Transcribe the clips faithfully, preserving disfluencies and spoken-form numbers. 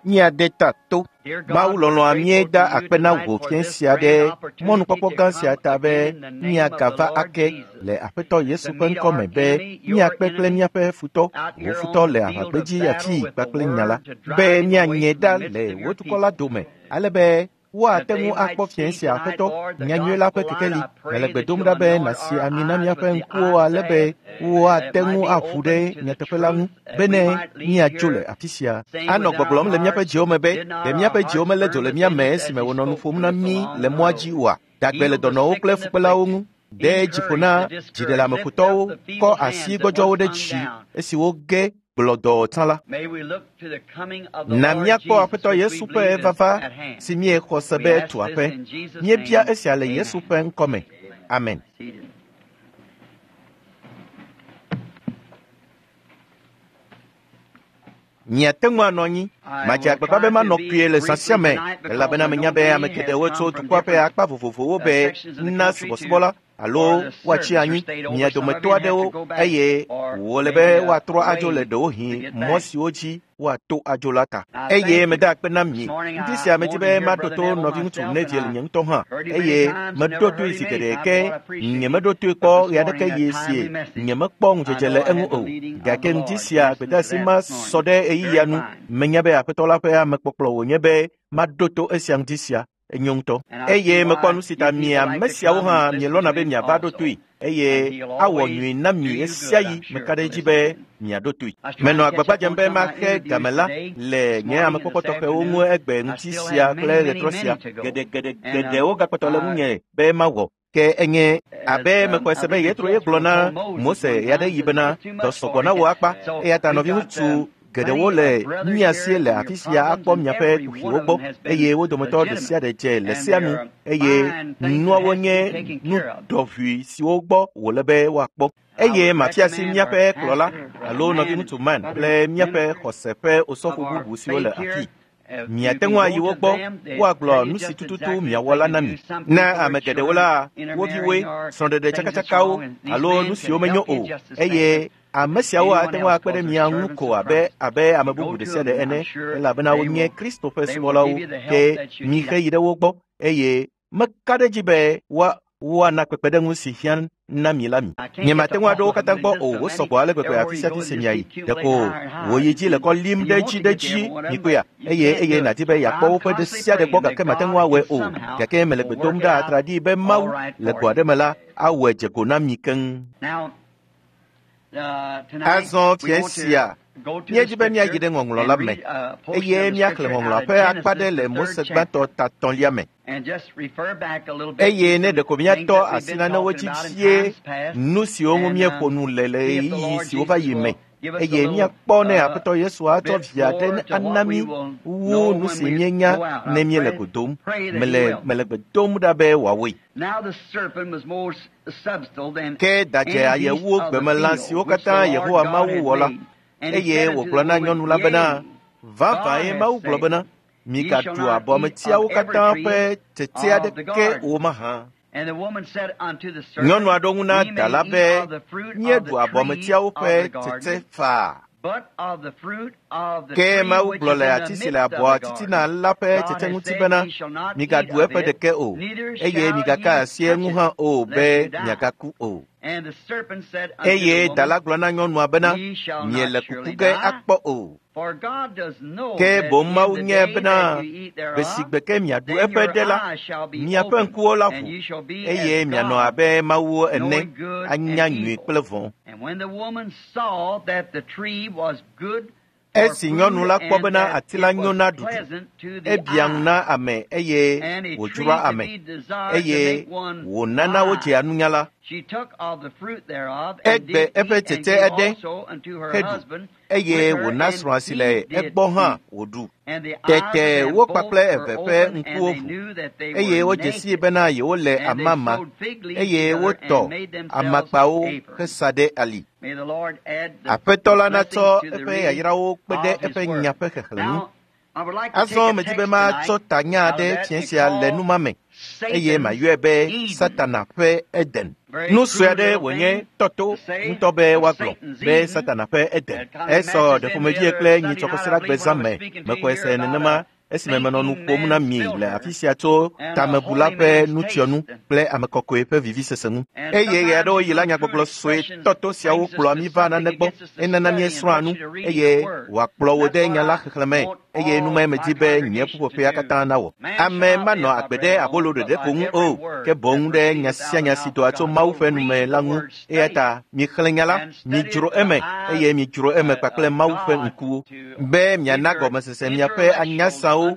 Míade ta to. Mawu lɔlɔ̃a míeda akpe na wò fiẽ sia ɖe mɔnukpɔkpɔ gã sia ta be míagava ake le Aƒetɔ Yesu ƒe ŋkɔ me be míakpe kple míaƒe futɔ, wò futɔ le aʋagbedzi afii kpakple nya la, be míanye ɖa le wò dukɔ la dome ale be woate ŋu akpɔ fiẽ sia Aƒetɔ, nyanyui la ƒe kekeli. Mele gbe dom ɖa be nàsi ami na míaƒe ŋkuwo ale be woate ŋu aʋu ɖe nyateƒe la ŋu bene míadzo le afi sia. Anɔ gbɔgblɔm le míaƒe dziwo me be, ɖe míaƒe dziwo melé dzo le mía me esime wònɔ nu ƒom na mí le mɔa dzi oa? Dagbe le dɔnɔwo kple fukpelawo ŋu. De dzi ƒo na dziɖeleameƒotɔwo, kɔ asi gbɔdzɔwo ɖe dzi esi woge gblɔdɔɔ tsã la. Na míakpɔ Aƒetɔ Yesu ƒe vava si míexɔ se be tu aƒe. Míebia esia le Yesu ƒe ŋkɔme. Amen. Miate ŋu anɔ anyi. Madze agbagba be manɔ kpuie le zã sia me elabena menya be ame geɖewo tso dukɔa ƒe akpa vovovowo be na subɔsubɔ alo woatsi anyi mia dometɔ aɖewo eye wòle be woatrɔ adzo le ɖewohĩ mɔ siwo dzi woato adzo la ta. Eye meda akpe na mi. Ŋdi sia medi be maɖo to nɔviŋutsu Neville nye ŋutɔ hã eye meɖo toe zi geɖe ke nyemeɖo toe kpɔ ɣe aɖeke ɣi sie nyemekpɔ ŋudzedze le eŋu o. Gake ŋdi sia gbedeasi ma sɔ ɖe ɣeyiɣia nu. Menya be Aƒetɔ la ƒe amekpɔkplɔ wònye be maɖo to esia ŋdi sia. Enyo ŋutɔ. Eye mekpɔ nu si ta mi ame siawo hã mielɔ̃na be miava ɖo toe eye awɔ nyui na mi ɣe sia ɣi meka ɖe edzi be miaɖo toe. Menɔ agbagba dzem be maxe game la le nye amekpɔkpɔ tɔxɛwo ŋu egbe ŋuti sia kple ɣetrɔ sia. Geɖegeɖegeɖewo gakpɔtɔ le ŋunye be mawɔ. Ke enye abe mexɔe se be Yetro ye gblɔ na Mose ɣeaɖeɣi bena dɔ sɔgbɔ na wò akpa eya ta nɔviŋutsu geɖewo le mía sie le afi sia akpɔ miaƒe kuxiwo gbɔ eye wo dometɔ ɖe sia ɖe dze le sia nu eye nuawo nye nu ɖɔʋui siwo gbɔ wòle be woakpɔ. Eye mafia si míaƒe kplɔla alo nɔviŋutsu Man kple míaƒe xɔse ƒe osɔfo bubu siwo le afii. Miate ŋu ayi wo gbɔ woagblɔ nu si tututu miawɔ la na mi. Na ame geɖewo la, wo viwoe, srɔ̃ɖeɖe tsakatsakawo alo nu siwo menyo o eye ame siawo ate ŋu akpe ɖe mia ŋu ko abe abe ame bubu ɖe sia ɖe ene elabena wonye Kristo ƒe subɔlawo ke mixe yi ɖe wo gbɔ eye meka ɖe edzi be woa woana kpekpeɖeŋu si hiã na mi la mi. Nyemate ŋu aɖo wo katã gbɔ o, wosɔgbɔ ale gbegbe afi sia afi si miayi. Ɖeko wò yi dzi le kɔ lim ɖe edzi ɖe edzi mikpɔea eye eye nàdi be yeakpɔ woƒe ɖe sia ɖe gbɔ gake mate ŋu awɔe o. Gake mele gbe dom ɖa atraɖii be Mawu le go aɖe me la awɔe dze go na mi keŋ. Azɔ fiẽ sia míedzi be míayi ɖe ŋɔŋlɔ la me eye míaxlẽ ŋɔŋlɔa ƒe akpa ɖe le Mose gbãtɔ ta tɔ̃lia me. Eye ne ɖeko míatɔ asi nanewo dzi vie nu siwo ŋu míeƒo nu le le ɣeyiɣi siwo va yi me eye míakpɔ ne Aƒetɔ Yesu atsɔ via ɖe ana mí wu nu si míenya ne míele go dom. Mele mele gbe dom ɖa be wòawɔe. Ke dadze aye wu gbemelã siwo katã Yehowa Mawu wɔ la eye wògblɔ na nyɔnu la bena, vavãe Mawu gblɔ bena, migaɖu abɔmetiawo katã ƒe tsetse aɖeke o mahã. Nyɔnua ɖo ŋu na da la be, míeɖu abɔmetiawo ƒe tsetse faa. Ke Mawu gblɔ le ati si le abɔa titina la ƒe tsetse ŋuti bena, migaɖu eƒe ɖeke o, eye migaka asi eŋu hã o be miagaku o. Eye da la gblɔ na nyɔnua bena, miele kuku ge akpɔ o. Ke boŋ Mawu nye bena gbe si gbe ke miaɖu eƒe ɖe la, miaƒe ŋkuwo la ʋu eye mianɔ abe Mawuwo ene anya nyui kple vɔ̃. Esi nyɔnu la kpɔ bena ati la nyo na ɖuɖu, ebia ŋu na ame eye wòdzroa ame eye wònana wodzea nunya la, egbe eƒe tsetse aɖe heɖu eye wòna srɔ̃a si le egbɔ hã wòɖu. Tete wo kpakple eve ƒe ŋkuwo ʋu eye wodze sii bena yewole amama eye wotɔ amakpawo hesa ɖe ali. Aƒetɔ la natsɔ eƒe yayrawo kpe ɖe eƒe nya ƒe xexlẽ ŋu. Azɔ medi be matsɔ tanya aɖe fiẽ sia le numa me eye mayɔe be Satana ƒe Eden. Nu sue aɖe wònye tɔto ŋutɔ be woagblɔ be Satana ƒe Eden. Esɔ ɖeƒomevie kple nyitsɔkɔsiɖagbe zã me. Mexɔe se nenema esime menɔ nu ƒom na mi le afi sia tso tamebula ƒe nutsyɔnu kple ame kɔkɔe ƒe vivisese ŋu. Eye ɣe aɖewo yi la nyagbɔgblɔ sue tɔto siawo kplɔa mí va nane gbɔ enana míesrɔ̃a nu eye wòakplɔ wo de nya la xexlẽme eye numae medi be nye ƒuƒoƒea katã nawɔ. Ame manɔ agbe ɖe abolo ɖeɖe ko ŋu o, ke boŋ ɖe nya sia nya si doa tso Mawu ƒe nume la ŋu. Eya ta mixlẽ nya la, midzro eme eye midzro eme kpakple Mawu ƒe ŋkuwo be miana gɔmesese miaƒe anyasawo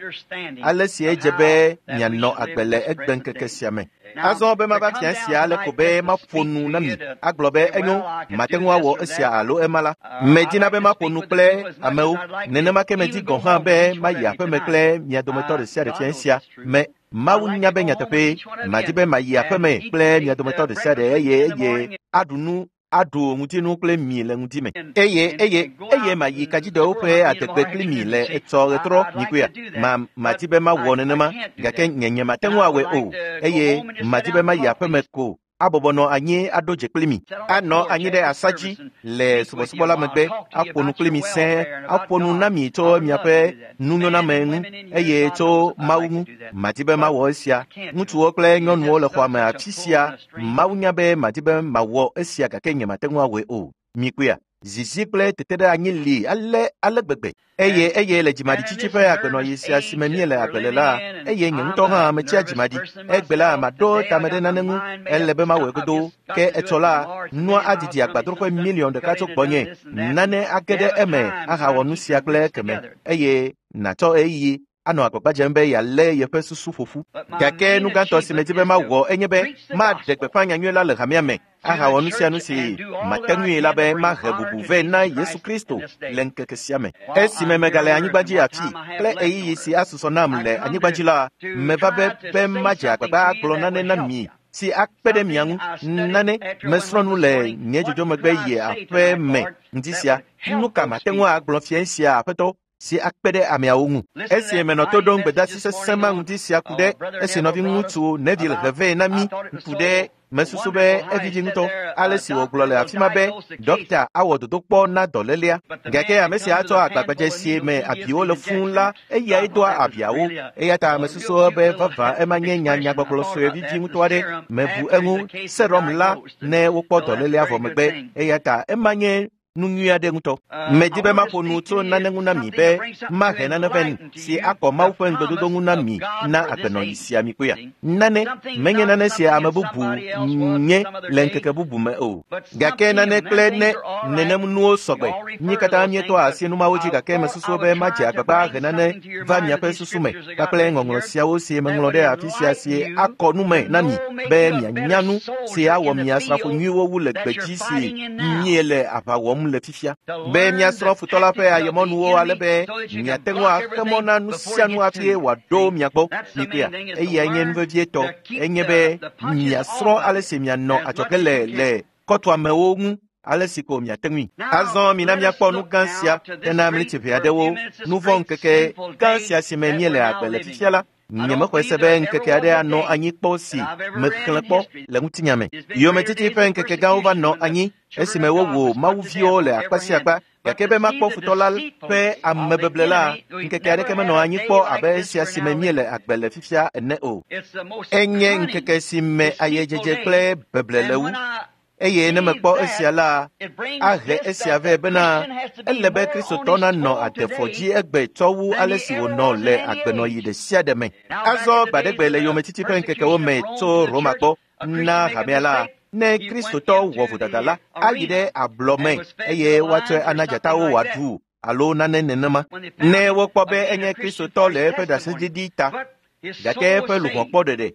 ale si edze be mianɔ agbe le egbeŋkeke sia me. Azɔ be mava fia sia ale ko be maƒo nu na mi agblɔ be enyo mate ŋu awɔ esia alo ema la. Medina be maƒo nu kple amewo nenema ke medi gɔ̃ hã be mayi aƒeme kple mia dometɔ ɖe sia ɖe fia sia me. Mawu nya be nyateƒe madi be mayi aƒeme kple mia dometɔ ɖe sia ɖe eye eye aɖu nu aɖu ŋutinu kple mi le ŋuti me eye eye eye mayi kadzidɔwo ƒe adegbe kpli mi le etsɔ ɣetrɔ nyikoea ma madi be mawɔ nenema gake nye nye mate ŋu awɔe o eye madi be mayi aƒeme ko abɔbɔ nɔ anyi aɖo dze kpli mi anɔ anyi ɖe asa dzi le subɔsubɔ la megbe aƒo nu kpli mi sẽe aƒo nu na mi tso miaƒe nunyoname ŋu eye tso Mawu ŋu. Madi be mawɔ esia. Ŋutsuwo kple nyɔnuwo le xɔa me afi sia. Mawu nya be madi be mawɔ esia gake nye mate ŋu awɔe o. Mikpɔea, zizi kple teteɖeanyi li ale ale gbegbe. Eye eye le dzimaɖitsitsi ƒe agbenɔɣi sia si me míele agbe le la, eye nye ŋutɔ hã metsia dzimaɖi. Egbe la maɖo tame ɖe nane ŋu, ele be mawɔe godoo. Ke etsɔ la, nua adidi agbadroƒe miliɔn ɖeka tso gbɔnye. Nane age ɖe eme ahawɔ nu sia kple keme eye nàtsɔ ɣeyiɣi anɔ agbagba dzem be yealé yeƒe susu ƒoƒu. Gake nu gãtɔ si medi be mawɔ enye be maɖe gbeƒã nyanyui la le hamea me ahawɔ nu sia nu si mate ŋui la be mahe bubu vɛ na Yesu Kristo le ŋkeke sia me. Esime megale anyigba dzi afi kple ɣeyiɣi si asusɔ nam le anyigba dzi la, meva be be madze agbagba agblɔ nane na mi si akpe ɖe mia ŋu. Nane mesrɔ̃ nu le nye dzodzomegbe yi aƒe me ŋdi sia. Nu ka mate ŋu agblɔ fia sia aƒetɔ si akpe ɖe ameawo ŋu? Esi menɔ to ɖom gbedeasi sesẽ ma ŋdi sia ku ɖe esi nɔviŋutsu Neville he vɛ na mí ku ɖe mesusu be evivi ŋutɔ ale si wògblɔ le afi ma be dɔkta awɔ dodokpɔ na dɔlélea gake ame sia atsɔ agbagbadze si me abiwo le fũu la eyae doa abiawo. Eya ta mesusu be vavã ema nye nya nyagbɔgblɔ sue vivi ŋutɔ aɖe. Mebu eŋu serum la ne wokpɔ dɔlélea vɔ megbe eya ta ema nye nu nyui aɖe ŋutɔ. Medi be maƒo nu tso nane ŋu na mi be mahe nane vɛ si akɔ Mawu ƒe ŋugbedodo ŋu na mi na agbenɔɣi sia mi kpɔea. Nane menye nane sia ame bubu nye le ŋkeke bubu me o. Gake nane kple ne nenem nuwo sɔgbe. Mí katã míetɔa asi numawo dzi gake mesusu be madze agbagba ahe nane va miaƒe susu me kpakple ŋɔŋlɔ siawo si meŋlɔ ɖe afi sia si akɔ nu me na mi be mianya nu si awɔ mia asrafo nyuiwo wu le gbedzi si míele aʋa wɔm le fifia. Be miasrɔ̃ futɔ la ƒe ayemɔnuwo ale be miate ŋu axe mɔ na nu sia nu hafi wòaɖo mia gbɔ. Mikpɔea, eyae nye nu vevietɔ enye be miasrɔ̃ ale si mianɔ adzɔge le le kɔtoamewo ŋu ale si ko miate ŋui. Azɔ mina míakpɔ nu gã sia hena mlitsi ʋɛ aɖewo. Nu vɔ̃ ŋkeke gã sia si me míele agbe le fifia la, nyemexɔe se be ŋkeke aɖe anɔ anyi kpɔ si mexlẽ kpɔ le ŋutinya me. Yometiti ƒe ŋkeke gãwo va nɔ anyi esime wowu mawuviwo le akpa sia akpa gake be makpɔ futɔ la ƒe amebeble la, ŋkeke aɖeke menɔ anyi kpɔ abe esia si me míele agbe le fifia ene o. Enye ŋkeke si me ayedzedze kple beble le wu. Eye ne mekpɔ esia la, ahe esia vɛ bena ele be Kristotɔ nanɔ adefɔ dzi egbe tsɔ wu ale si wònɔ le agbenɔɣi ɖe sia ɖe me. Azɔ gbaɖegbe le yometiti ƒe ŋkekewo me tso Roma gbɔ na hamea la, ne Kristotɔ wɔ vodada la, ayi ɖe ablɔ me eye woatsɔe ana dzatawo wòaɖu alo nane nenema. Ne wokpɔ be enye Kristotɔ le eƒe ɖaseɖiɖi ta, gake eƒe luʋɔ kpɔ ɖeɖe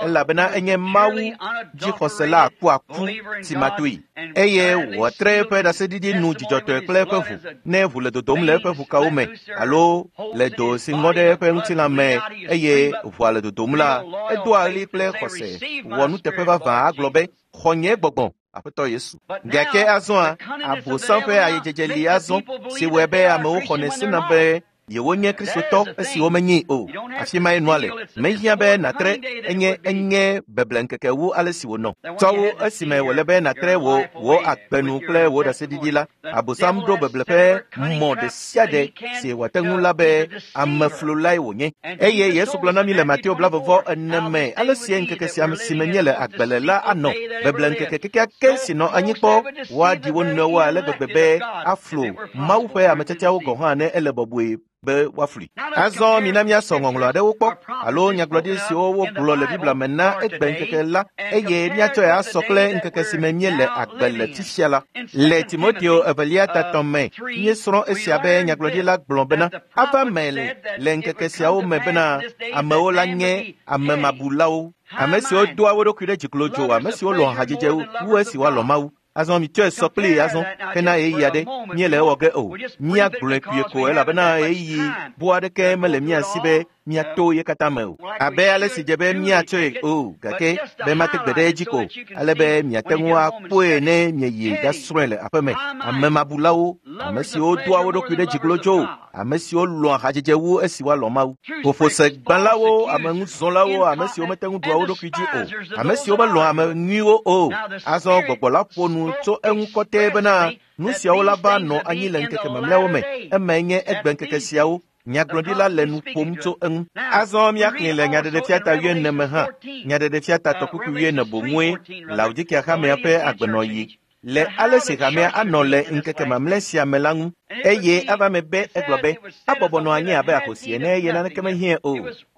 elabena enye Mawu dzixɔsela akuaku timatoe eye wòatre eƒe ɖaseɖiɖi nu dzidzɔtɔe kple eƒe ʋu ne ʋu le dodom le eƒe ʋukawo me alo le do si ŋɔ ɖe eƒe ŋutilã me eye ʋua le dodom la, edoa ɣli kple xɔse wɔ nuteƒe vavã agblɔ be xɔ nye gbɔgbɔ Aƒetɔ Yesu. Gake azɔa, Abosam ƒe ayedzedze li azɔ si wɔe be amewo xɔnɛ sena be Yewonye Kristotɔ esi womenyii o. Afi mae nua le. Mehiã be nàtre enye enye beble ŋkeke wu ale si wònɔ. Tsɔ wu esime wòle be nàtre wò wò agbenu kple wò ɖaseɖiɖi la, Abosam ɖo beble ƒe mɔ ɖe sia ɖe si wòate ŋu la be ameflulae wònye. Eye Yesu gblɔ na mí le Mateo blavevɔ ene me ale sie ŋkeke sia si me míele agbe le la anɔ. Beble ŋkeke kekeake si nɔ anyi kpɔ woaɖi wo nɔewo ale gbegbe be aflu Mawu ƒe ametsɛtsɛawo gɔ̃ hã ne ele bɔbɔe be woaflui. Azɔ mina míasɔ ŋɔŋlɔ aɖewo kpɔ alo nyagblɔɖi siwo wogblɔ le Biblia me na egbe ŋkeke la eye míatsɔe asɔ kple ŋkeke si me míele agbe le fifia la. Le Timoteo evelia tatɔ me míesrɔ̃ esia be nyagblɔɖila gblɔ bena ava me le ŋkeke siawo me bena amewo la nye amemabulawo, ame siwo doa wo ɖokui ɖe dziklodzo, ame siwo lɔ̃ hadzedze wu esi woalɔ̃ Mawu. Azɔ mitsɔe sɔ kplii azɔ hena ɣeyiɣi aɖe míele ewɔ ge o. Míagblɔe kpuie ko elabena ɣeyiɣi bu aɖeke mele mía si be míato ye katã me o. Abe ale si dze be míatsɔe o gake be mate gbe ɖe edzi ko ale be miate ŋu akpɔe ne mieyi ɖasrɔ̃e le aƒeme. Amemabulawo, ame siwo doa wo ɖokui ɖe dziklodzo, ame siwo lɔ̃a hadzedze wu esi woalɔ̃ Mawu. Ƒoƒosegbãlawo, ameŋuzɔlawo, ame siwo mete ŋu ɖua wo ɖokui dzi o, ame siwo melɔ̃a ame nyuiwo o. Azɔ gbɔgbɔ la ƒo nu tso eŋu kɔtɛe bena nu siawo la va nɔ anyi le ŋkeke mamlɛawo me. Emae nye egbe ŋkeke siawo. Nyagblɔɖila le nu ƒom tso eŋu. Azɔ míaxlẽ le Nyaɖeɖefia ta wuiene me hã. Nyaɖeɖefia ta tɔkpukpui wuiene boŋue Laodikea hamea ƒe agbenɔɣi le ale si hamea anɔ le ŋkeke mamlɛ sia me la ŋu. Eye ava me be egblɔ be abɔbɔ nɔ anyi abe ahosi ene eye naneke mehiãe o.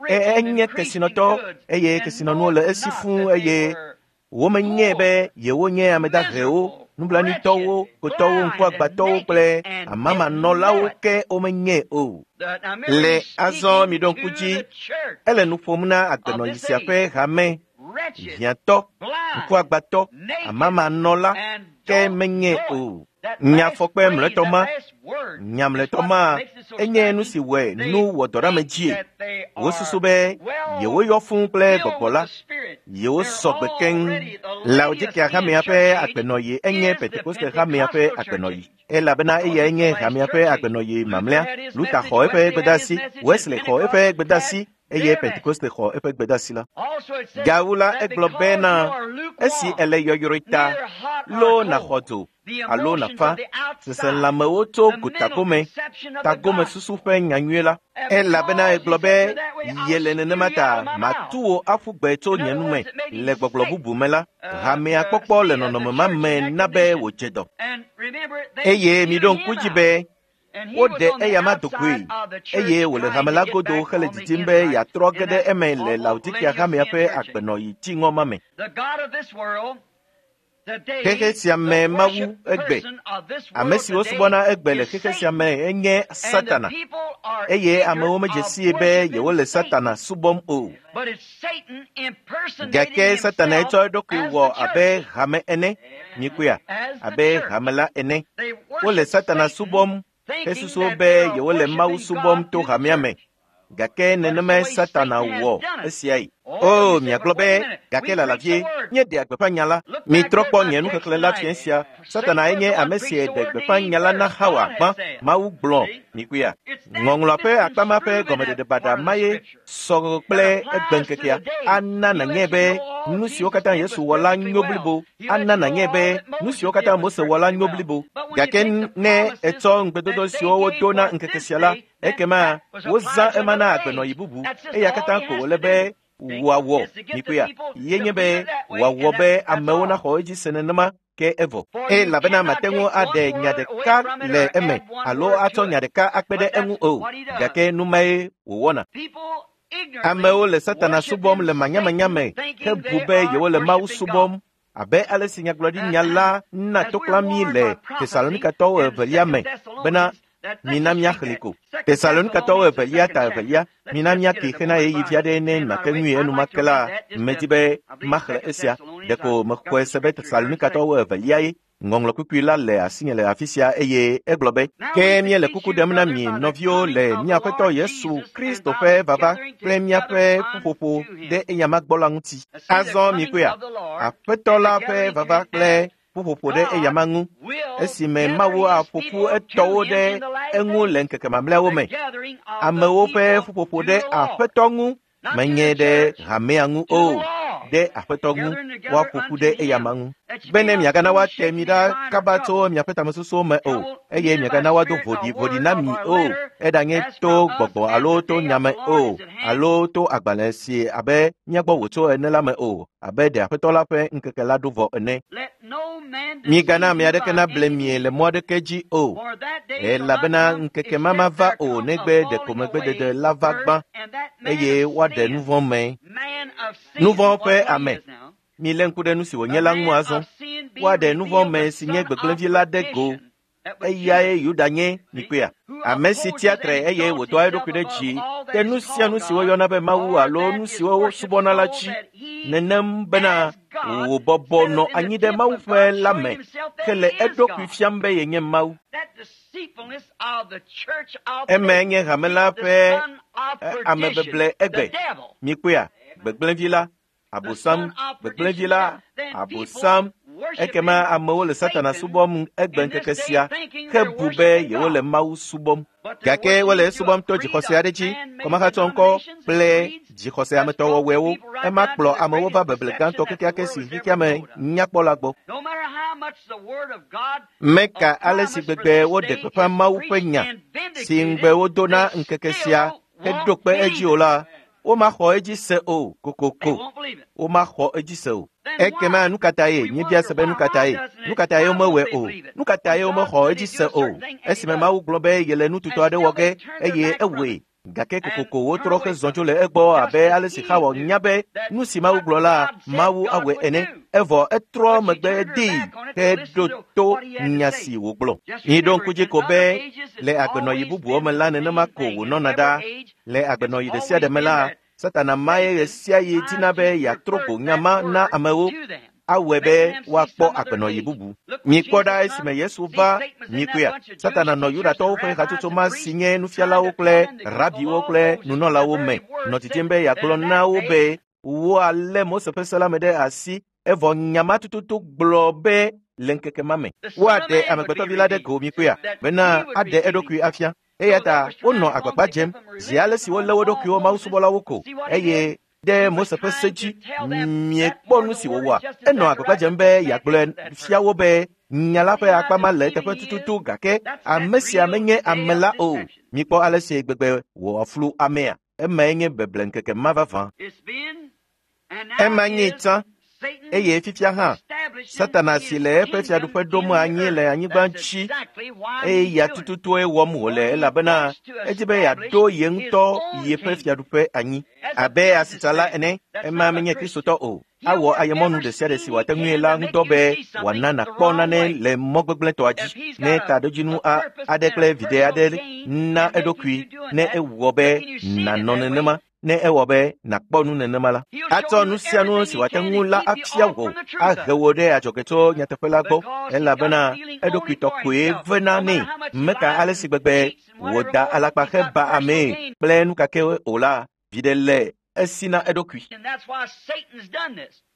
Enye kesinɔtɔ eye kesinɔnuwo le esi fũu eye womenyae be yewonye ame dahewo, nublanuitɔwo, kotɔwo, ŋkuagbãtɔwo kple amamanɔlawo ke womenyae o. Le azɔ miɖo ŋku dzi, ele nu ƒom na agbenɔɣi sia ƒe hame, hiãtɔ, ŋkuagbãtɔ, amamanɔla ke menyae o. Nyafɔkpe mlɔetɔ ma, nya mlɔetɔ ma enye nu si wɔe nu wɔ dɔ ɖe ame dzie. Wosusu be yewoyɔ fũu kple gbɔgbɔ la, yewosɔ gbe keŋ. Laodikea hamea ƒe agbenɔɣi enye Pentekoste hamea ƒe agbenɔɣi elabena eyae nye hamea ƒe agbenɔɣi mamlɛa. Luther xɔ eƒe gbedeasi, Wesley xɔ eƒe gbedeasi eye Pentekoste xɔ eƒe gbedeasi la. Gawu la egblɔ bena esi ele yɔyrɔe ta, loo nàxɔ dzo alo nàfa seselãmewo tso gotagome, tagomesusu ƒe nyanyui la. Elabena egblɔ be yele nenema ta matu wò aƒu gbe tso nye nu me. Le gbɔgblɔ bubu me la, hamea kpɔkpɔ le nɔnɔme ma me na be wòdze dɔ. Eye miɖo ŋku dzi be woɖe eyama do goe eye wòle hame la godo hele didim be yeatrɔ ge ɖe eme le Laodikea hamea ƒe agbenɔɣi dziŋɔ ma me. Xexe sia me Mawu egbe, ame siwo subɔna egbe le xexe sia me enye Satana eye amewo medze sie be yewole Satana subɔm o. Gake Satana etsɔ eɖokui wɔ abe hame ene, mikpɔea, abe hame la ene. Wole Satana subɔm hesusu be yewole Mawu subɔm to hamea me. Gake nenemae Satana wɔ esiae. O, miagblɔ be gake lala vie, míeɖea gbeƒã nya la. Mitrɔ kpɔ nye nuxexlẽ la fiẽ sia. Satana enye ame si ɖe gbeƒã nya la na Hawa gbã. Mawu gblɔ, mikpɔea. Ŋɔŋlɔa ƒe akpa ma ƒe gɔmeɖeɖe baɖa ma ye sɔ kple egbeŋkekea. Ana nànyae be nu siwo katã Yesu wɔ la nyo blibo. Ana nànyae be nu siwo katã Mose wɔ la nyo blibo. Gake ne etsɔ ŋugbedodo siwo wodo na ŋkeke sia la, ekema wozã ema na agbenɔɣi bubu. Eya katã ko wòle be wòawɔ mikpɔea ye nye be wòawɔ be amewo naxɔ edzi se nenema ke evɔ. Elabena mate ŋu aɖe nya ɖeka le eme alo atsɔ nya ɖeka akpe ɖe eŋu o. Gake nu mae wòwɔna. Amewo le Satana subɔm le manyamanya me hebu be yewole Mawu subɔm abe ale si nyagblɔɖinya la na toklã mí le Tesalonikatɔwo evelia me bena mina míaxlẽ ko. Tesalonikatɔwo evelia ta evelia, mina míake xena ɣeyiɣi vi aɖe ne mate ŋui enumake la, medi be maxlẽ esia. Ɖeko mexɔe se be Tesalonikatɔwo evelia ye. Ŋɔŋlɔ kpukpui la le asinye le afi sia eye egblɔ be, ke míele kuku ɖem na mi nɔviwo le mía Aƒetɔ Yesu Kristo ƒe vava kple míaƒe ƒuƒoƒo ɖe eyama gbɔ la ŋuti. Azɔ mikpɔea, Aƒetɔ la ƒe vava kple ƒuƒoƒo ɖe eyama ŋu esime Mawu aƒo ƒu etɔwo ɖe eŋu le ŋkeke mamlɛawo me. Amewo ƒe ƒuƒoƒo ɖe Aƒetɔ ŋu menye ɖe hamea ŋu o, ɖe Aƒetɔ ŋu, woaƒo ƒu ɖe eyama ŋu. Bene miagana woate mi ɖa kaba tso miaƒe tamesusuwo me o, eye miagana woado voɖivoɖi na mi o, eɖanye to gbɔgbɔ alo to nyame o, alo to agbalẽ si abe mía gbɔ wòtso ene la me o, abe ɖe Aƒetɔ la ƒe ŋkeke la ɖo vɔ ene. Migana ame aɖeke nable mie le mɔ aɖeke dzi o, elabena ŋkeke ma mava o negbe ɖeko megbedede la va gbã, eye woaɖe nu vɔ̃ me. Nu vɔ̃ ƒe ame. Milé ŋku ɖe nu si wònye la ŋu azɔ. Woaɖe nu vɔ̃ me si nye gbegblẽvi la ɖe go. Eyae Yuda nye, mikpɔea? Ame si tia tre eye wòdoa eɖokui ɖe dzi ɖe nu sia nu si woyɔna be Mawu alo nu siwo wosubɔna la dzi, nenem bena wòbɔbɔ nɔ anyi ɖe Mawu ƒe la me, ke le eɖokui fiam be yenye Mawu. Emae nye hame la ƒe amebeble egbe. Mikpɔea? Gbegblẽvi la, Abosam, gbegblẽvi la, Abosam. Ekema amewo le Satana subɔm egbe ŋkeke sia hebu be yewole Mawu subɔm. Gake wole esubɔm to dzixɔse aɖe dzi, kɔmahatsɔŋkɔ kple dzixɔse ametɔwɔwɔewo. Ema kplɔ amewo va beble gãtɔ kekeake si xexea me nyakpɔ la gbɔ. Meka ale si gbegbe woɖe gbeƒã Mawu ƒe nya si ŋugbe wodo na ŋkeke sia heɖo kpe edzi o la, womaxɔ edzi se o kokoko. Womaxɔ edzi se o. Ekema nu ka tae? Míebia se be nu ka tae? Nu ka tae womewɔe o? Nu ka tae womexɔ edzi se o? Esime Mawu gblɔ be yele nu tutɔ aɖe wɔ ge eye ewɔe. Gake kokoko wotrɔ hezɔ tso le egbɔ abe ale si Xawa nya be nu si Mawu gblɔ la, Mawu awɔe ene. Evɔ etrɔ megbe dee heɖo to nya si wògblɔ. Miɖo ŋku dzi ko be le agbenɔɣi bubuwo me la nenema ko wònɔna ɖa. Le agbenɔɣi ɖe sia ɖe me la, Satana mae ɣe sia ɣi dina be yeatrɔ go nya ma na amewo awɔe be woakpɔ agbenɔɣi bubu. Mikpɔ ɖa esime Yesu va mikpɔea, Satana nɔ Yudatɔwo ƒe hatsotso ma si nye nufialawo kple rabiwo kple nunɔlawo me nɔ didim be yeagblɔ na wo be woalé Mose ƒe se la me ɖe asi, evɔ nya ma tututu gblɔ be le ŋkeke ma me woaɖe amegbetɔvi la ɖe go mikpɔea, bena aɖe eɖokui afia. Eya ta wonɔ agbagba dzem zi ale si wolé wo ɖokuiwo mawusubɔlawo ko eye ɖe Mose ƒe se dzi. Miekpɔ nu si wòwɔa? Enɔ agbagba dzem be yeagblɔe fia wo be nya la ƒe akpa ma le eteƒe tututu gake ame sia menye ame la o. Mikpɔ ale si gbegbe wòaflu amea. Emae nye beble ŋkeke ma vavã. Ema nye tsã eye fifia hã Satana si le eƒe fiaɖuƒe ɖom anyi le anyigba dzi eye ya tututue wɔm wòle elabena edzi be yeaɖo ye ŋutɔ yeƒe fiaɖuƒe anyi abe asitsala ene. Ema menye Kristotɔ o. Awɔ ayemɔnu ɖe sia ɖe si wòate ŋui la ŋudɔ be wòana nàkpɔ nane le mɔ gbegblẽtɔa dzi ne taɖodzinu aɖe kple viɖe aɖe na eɖokui ne ewɔ be nànɔ nenema. Ne ewɔ be nàkpɔ nu nenema la, atsɔ nu sia nu si wòate ŋu la afia wò, ahe wò ɖe adzɔge tso nyateƒe la gbɔ, elabena eɖokuitɔ koe vena nɛ. Meka ale si gbegbe wòda alakpa heba amee kple nu kake o la, viɖe le esi na eɖokui.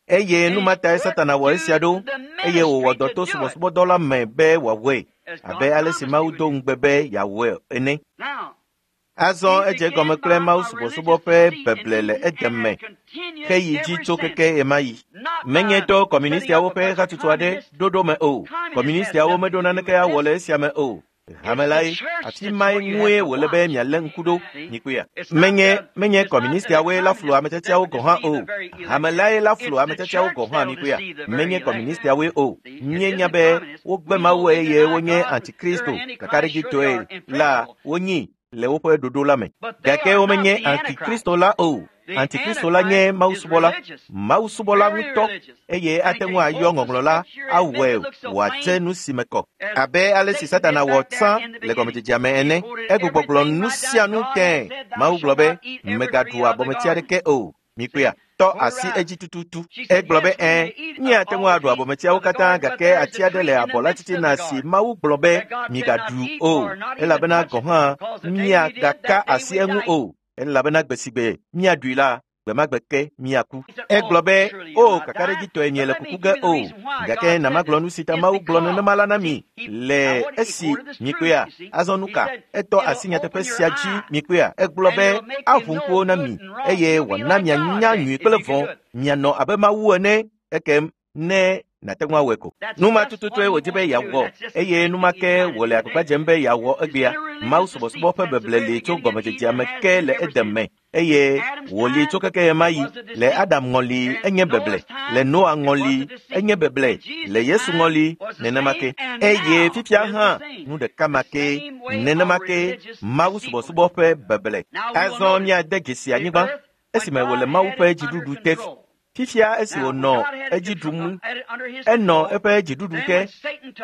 Eye nu ma tae Satana wɔ esia ɖo, eye wòwɔ dɔ to subɔsubɔdɔ la me be wòawɔe, abe ale si Mawu do ŋugbe be yeawɔe ene. Azɔ edze gɔme kple Mawu subɔsubɔ ƒe beble le edeme heyi dzi tso keke ɣemaɣi. Menye to kɔmunistiawo ƒe hatsotso aɖe ɖoɖo me o. Kɔmunistiawo meɖo naneke awɔ le esia me o. Hame lae, afi mae ŋue wòle be mialé ŋku ɖo, mikpɔea. Menye menye kɔmunistiawoe la flu ametsiatsiawo gɔ̃ hã o. Hame lae la flu ametsiatsiawo gɔ̃ hã, mikpɔea. Menye kɔmunistiawoe o. Míenya be wogbe Mawu eye wonye antikristo kakaɖedzitɔe la wonyi le woƒe ɖoɖo la me. Gake womenye antikristo la o. Antikristo la nye mawusubɔla, mawusubɔla ŋutɔ, eye ate ŋu ayɔ ŋɔŋlɔ la awɔe wòatse nu si me kɔ. Abe ale si Satana wɔ tsã le gɔmedzedzea me ene, egbugbɔgblɔ nu sia nu tẽe. Mawu gblɔ be, mègaɖu abɔmeti aɖeke o. Mikpɔea? Tɔ asi edzi tututu. Egblɔ be ɛ̃, míate ŋu aɖu abɔmetiawo katã gake ati aɖe le abɔ la titina si Mawu gblɔ be migaɖu o, elabena gɔ̃ hã miagaka asi eŋu o, elabena gbe si gbe míaɖui la, Gbe ma gbe ke miaku. Egblɔ be, o kakaɖedzitɔe miele kuku ge o. Gake na magblɔ nu si ta Mawu gblɔ nenema la na mi le esi mikpɔea. Azɔ nu ka? Etɔ asi nyateƒe sia dzi mikpɔea. Egblɔ be aʋu ŋkuwo na mi eye wòana mianya nyui kple vɔ̃. Mianɔ abe Mawu ene ekem ne nàte ŋu awɔe ko. Nu ma tututue wòdi be yeawɔ eye nu ma ke wòle agbagba dzem be yeawɔ egbea. Mawu subɔsubɔ ƒe beble li tso gɔmedzedzea me ke le Eden me eye wòli tso keke ɣemaɣi. Le Adam ŋɔli enye beble, le Noa ŋɔli enye beble, le Yesu ŋɔli nenema ke. Eye fifia hã nu ɖeka ma ke, nenema ke Mawu subɔsubɔ ƒe beble. Azɔ míade dzesi anyigba esime wòle Mawu ƒe dziɖuɖu te. Fifia esi wònɔ edzi ɖum, enɔ eƒe dziɖuɖu te.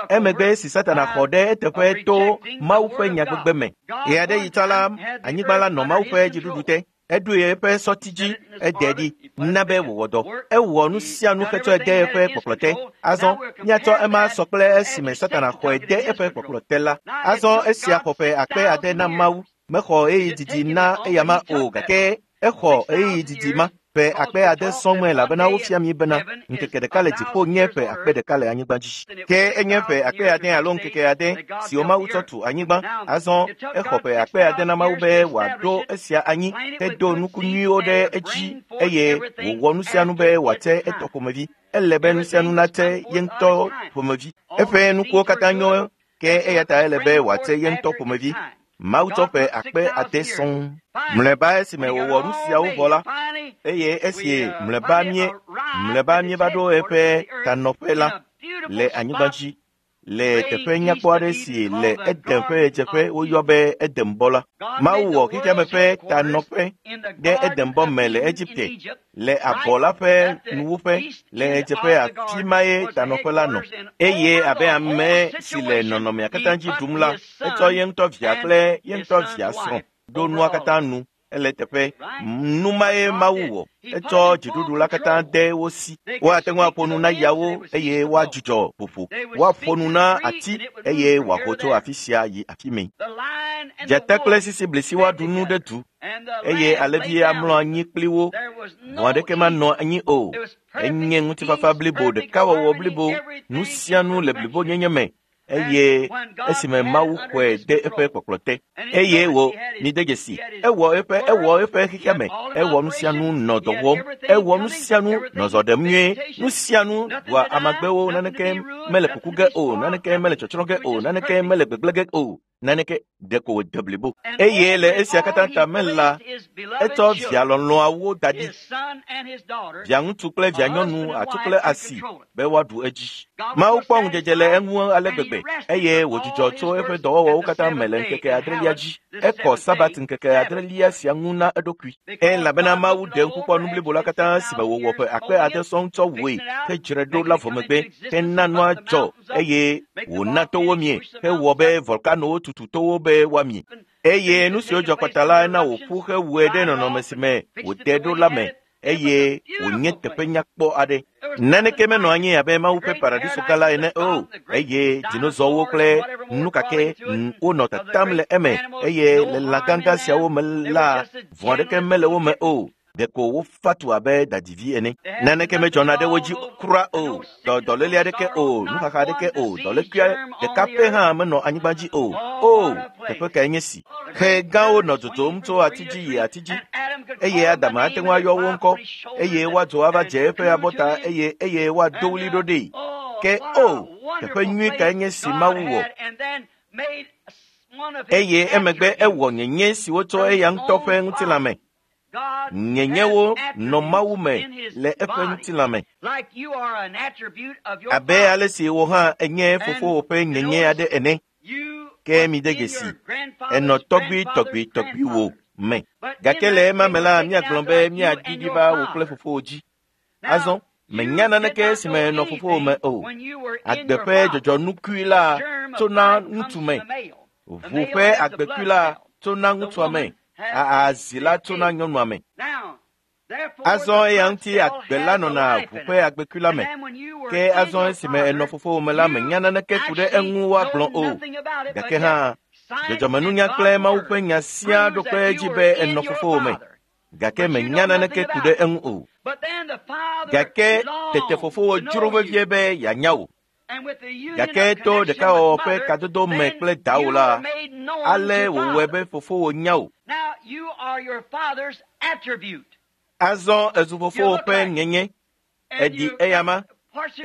Emegbe esi Satana xɔ ɖe eteƒe to Mawu ƒe nyagbegbe me. Ɣeaɖeɣi tsã la, anyigba la nɔ Mawu ƒe dziɖuɖu te. Eɖoe eƒe sɔti dzi, ede ɖi, na be wòwɔ dɔ. Ewɔ nu sia nu hetsɔe de eƒe kpɔkplɔ te. Azɔ míatsɔ ema sɔ kple esime Satana xɔe de eƒe kpɔkplɔ te la. Azɔ esia xɔ ƒe akpe ade na Mawu. Mexɔ ɣeyiɣi didi na eyama o gake exɔ ɣeyiɣi didi ma. Ƒe akpe ade sɔŋ elabena wofia mi bena ŋkeke ɖeka le dziƒo nye ƒe akpe ɖeka le anyigba dzi. Ke enye ƒe akpe ade alo ŋkeke ade siwo Mawu tsɔ tu anyigba. Azɔ exɔ ƒe akpe ade na Mawu be wòaɖo esia anyi hedo nuku nyuiwo ɖe edzi eye wòwɔ nu sia nu be wòate etɔ ƒomevi. Ele be nu sia nu nate ye ŋutɔ ƒomevi. Eƒe nukuwo katã nyo ke eya ta ele be wòate ye ŋutɔ ƒomevi. Mawu tsɔ ƒe akpe ade sɔŋ. Mlɔeba esime wòwɔ nu siawo vɔ la, eye esi mlɔeba mie mlɔeba míeva ɖo eƒe tanɔƒe la le anyigba dzi le teƒe nyakpɔ aɖe si le Eden ƒe ɣedzeƒe woyɔ be Edenbɔ la. Mawu wɔ xexeame ƒe tanɔƒe ɖe Edenbɔ me le Egipte, le abɔ la ƒe nuwuƒe le ɣedzeƒe afi mae tanɔƒe la nɔ. Eye abe ame si le nɔnɔmea katã dzi ɖum la, etsɔ ye ŋutɔ via kple ye ŋutɔ via srɔ̃ ɖo nua katã nu. Ele teƒe nu mae Mawu wɔ. Etsɔ dziɖuɖu la katã de wo si. Woate ŋu aƒo nu na yawo eye woadzudzɔ ƒoƒo. Woaƒo nu na ati eye wòaho tso afi sia yi afi mɛ. Dzata kple sisiblisi woaɖu nu ɖe du eye alẽvi amlɔ anyi kpli wo. Vɔ̃ aɖeke manɔ anyi o. Enye ŋutifafa blibo, ɖekawɔwɔ blibo, nu sia nu le blibonyenye me. Eye esime Mawu xɔe de eƒe kpɔkplɔ te eye wò mide dzesi ewɔ eƒe ewɔ eƒe xexeame ewɔ nu sia nu nɔ dɔ wɔm ewɔ nu sia nu nɔ zɔ ɖem nyuie nu sia nu ɖua amagbewo naneke mele kuku ge o naneke mele tsɔtsrɔ̃ ge o naneke mele gbegblẽ ge o naneke ɖeko wòde blibo. Eye le esia katã ta me la, etsɔ via lɔlɔ̃awo da ɖi, via ŋutsu kple via nyɔnu, atsu kple asi be woaɖu edzi. Mawu kpɔ ŋudzedze le eŋu ale gbegbe eye wòdzudzɔ tso eƒe dɔwɔwɔwo katã me le ŋkeke adrelia dzi. Ekɔ Sabat ŋkeke adrelia sia ŋu na eɖokui. Elabena Mawu ɖe ŋku kpɔ nu blibo la katã si me wòwɔ ƒe akpe ade sɔŋ tsɔ wɔe hedzrae ɖo la vɔ megbe hena nua dzɔ eye wòna towo mie hewɔ be volkanowo tutu towo be woamie. Eye nu siwo dzɔ kpata la na wòƒu hewɔe ɖe nɔnɔme si me wòde ɖo la me eye wònye teƒe nyakpɔ aɖe. Naneke menɔ anyi abe Mawu ƒe paradiso gã la ene o eye dinozɔwo kple nu kake wonɔ tatam le eme eye le lã gãgã siawo me la vɔ̃ aɖeke mele wo me o. Ɖeko wofa tu abe dadivi ene. Naneke medzɔna ɖe wo dzi kura o. Dɔ dɔléle aɖeke o, nuxaxa aɖeke o, dɔlékui ɖeka pɛ hã menɔ anyigba dzi o. O, teƒe kae nye si? Xe gãwo nɔ dzodzom tso ati dzi yi ati dzi eye Adam ate ŋu ayɔ wo ŋkɔ eye woadzo ava dze eƒe abɔta eye eye woado ɣli ɖo ɖee. Ke o, teƒe nyui kae nye si Mawu wɔ? Eye emegbe ewɔ nyenye si wotsɔ eya ŋutɔ ƒe ŋutilã me. Nyenyewo nɔ Mawu me le eƒe ŋutilã me. Abe ale si wò hã enye fofowò ƒe nyenye aɖe ene. Ke mide dzesi, enɔ tɔgbui tɔgbui tɔgbuiwò me. Gake le ema me la, míagblɔ be míaɖiɖi va wò kple fofowò dzi. Azɔ, menya naneke esime nɔ fofowò me o. Agbe ƒe dzɔdzɔnukui la tsona ŋutsu me. Ʋu ƒe agbekui la tsona ŋutsua me. Azi la tsona nyɔnua me. Azɔ eya ŋuti agbe la nɔna ʋu ƒe agbekui la me. Ke azɔ esime enɔ fofowò me la, menya naneke ku ɖe eŋu woagblɔ o. Gake hã, dzɔdzɔmenunya kple Mawu ƒe nya siaa ɖo kpe edzi be enɔ fofowò me. Gake menya naneke ku ɖe eŋu o. Gake tete fofowò dzro vevie be yeanya wò. Gake to ɖekawɔwɔ ƒe kadodo me kple dawò la, ale wòwɔe be fofowò nya wò. Azɔ ezu fofowò ƒe nyenye, eɖi eyama,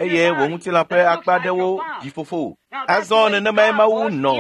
eye wò ŋutilã ƒe akpa aɖewo ɖi fofowò. Azɔ nenemae Mawu nɔ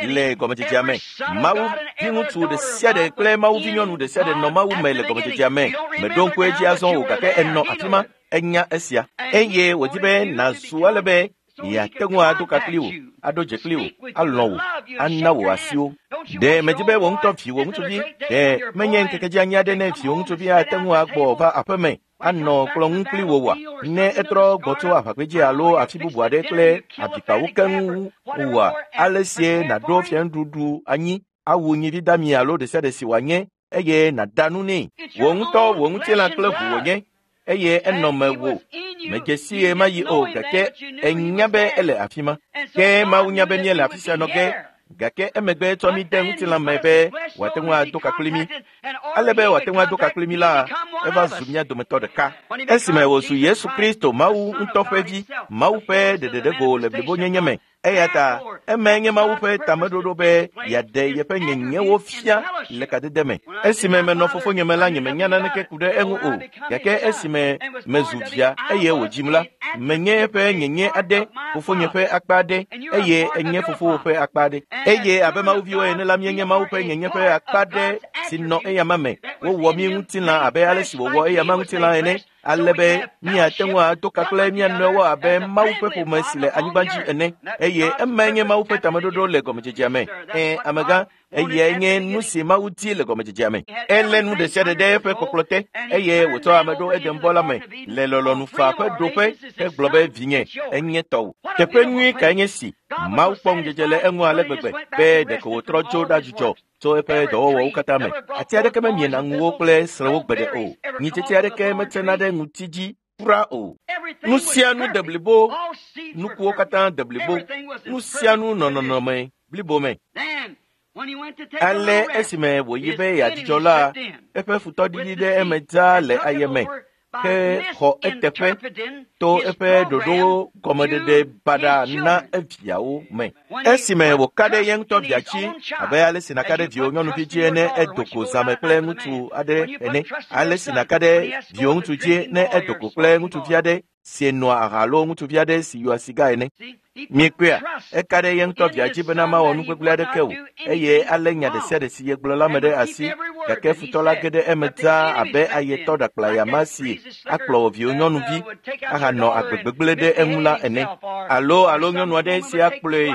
le gɔmedzedzea me. Mawu viŋutsu ɖe sia ɖe kple Mawu vinyɔnu ɖe sia ɖe nɔ Mawu me le gɔmedzedzea me. Meɖo ŋku edzi azɔ o gake enɔ afi ma, enya esia. Eye wòdi be nàzu ale be yeate ŋu ado ka kpli wò, aɖo dze kpli wò, alɔ̃ wò, ana wò asiwo. Ɖe medi be wò ŋutɔ viwò ŋutsuvi, ɖe menye ŋkeke dzi anyi aɖe ne viwò ŋutsuvi ate ŋu agbɔ va aƒeme anɔ kplɔ ŋu kpli wò wòa? Ne etrɔ gbɔ tso aʋagbedzi alo afi bubu aɖe kple abikpawo keŋ wòa, ale sie nàɖo fianuɖuɖu anyi, awu nyivi dami alo ɖe sia ɖe si wòanye eye nàda nu nɛ. Wò ŋutɔ wò ŋutilã kple ʋu wònye eye enɔ mewò. Medze si ɣe ma ɣi o gake enya be ele afi ma. Ke Mawu nya be míele afi sia nɔ ge gake emegbe etsɔ mí de ŋutilã me be wòate ŋu ado ka kpli mí. Ale be wòate ŋu ado ka kpli mí la, eva zu mía dometɔ ɖeka. Esime wòzu Yesu Kristo, Mawu ŋutɔ ƒe vi, Mawu ƒe ɖeɖeɖego le blibonyenye me. Eya ta emae nye Mawu ƒe tameɖoɖo be yeaɖe yeƒe nyenyewo fia le kadede me. Esime menɔ fofonye me la, nyemenya naneke ku ɖe eŋu o. Gake esime mezu via eye wòdzim la, menye eƒe nyenye aɖe, fofonye ƒe akpa aɖe, eye enye fofowò ƒe akpa aɖe. Eye abe Mawuviwo ene la, míenye Mawu ƒe nyenye ƒe akpa aɖe si nɔ eyama me. Wowɔ mí ŋutilã abe ale si wòwɔ eyama ŋutilã ene, ale be míate ŋu ado ka kple mía nɔewo abe Mawu ƒe ƒome si le anyigba dzi ene. Eye emae nye Mawu ƒe tameɖoɖo le gɔmedzedzea me. Ẽ, amegã, eyae nye nu si Mawu di le gɔmedzedzea me. Elé nu ɖe sia ɖe ɖe eƒe kpɔkplɔ te eye wòtsɔ ame ɖo Edenbɔ la me le lɔlɔ̃nu faa ƒe ɖoƒe hegblɔ be vinye, enye tɔwò. Teƒe nyui kae nye si Mawu kpɔ ŋudzedze le eŋu ale gbegbe be ɖeko wòtrɔ dzo ɖadzudzɔ tso eƒe dɔwɔwɔwo katã me. Ati aɖeke memiena ŋuwo kple srẽwo gbeɖe o. Nyitsetse aɖeke metsena ɖe ŋuti dzi kura o. Nu sia nu de blibo, nukuwo katã de blibo, nu sia nu nɔ nɔnɔme blibo me. Ale esime wòyi be yeadzudzɔ la, eƒe futɔ ɖiɖi ɖe eme dzaa le ayeme ke xɔ eteƒe to eƒe ɖoɖowo gɔmeɖeɖe baɖa na eviawo me. Esime wòka ɖe ye ŋutɔ via dzi abe ale si nàka ɖe viwò nyɔnuvi dzi ne edo go zãme kple ŋutsu aɖe ene, ale si nàka ɖe viwò ŋutsu dzi ne edo go kple ŋutsuvi aɖe si noa aha alo ŋutsuvi aɖe si yɔa siga ene. Miekpɔea, eka ɖe ye ŋutɔ via dzi bena mawɔ nu gbegblẽ aɖeke o, eye alé nya ɖe sia ɖe si yegblɔ la me ɖe asi, gake futɔ la ge ɖe eme dzaa abe ayetɔ ɖakplayama si akplɔ wò viwò nyɔnuvi ahanɔ agbe gbegblẽ ɖe eŋu la ene, alo alo nyɔnu aɖe si akplɔe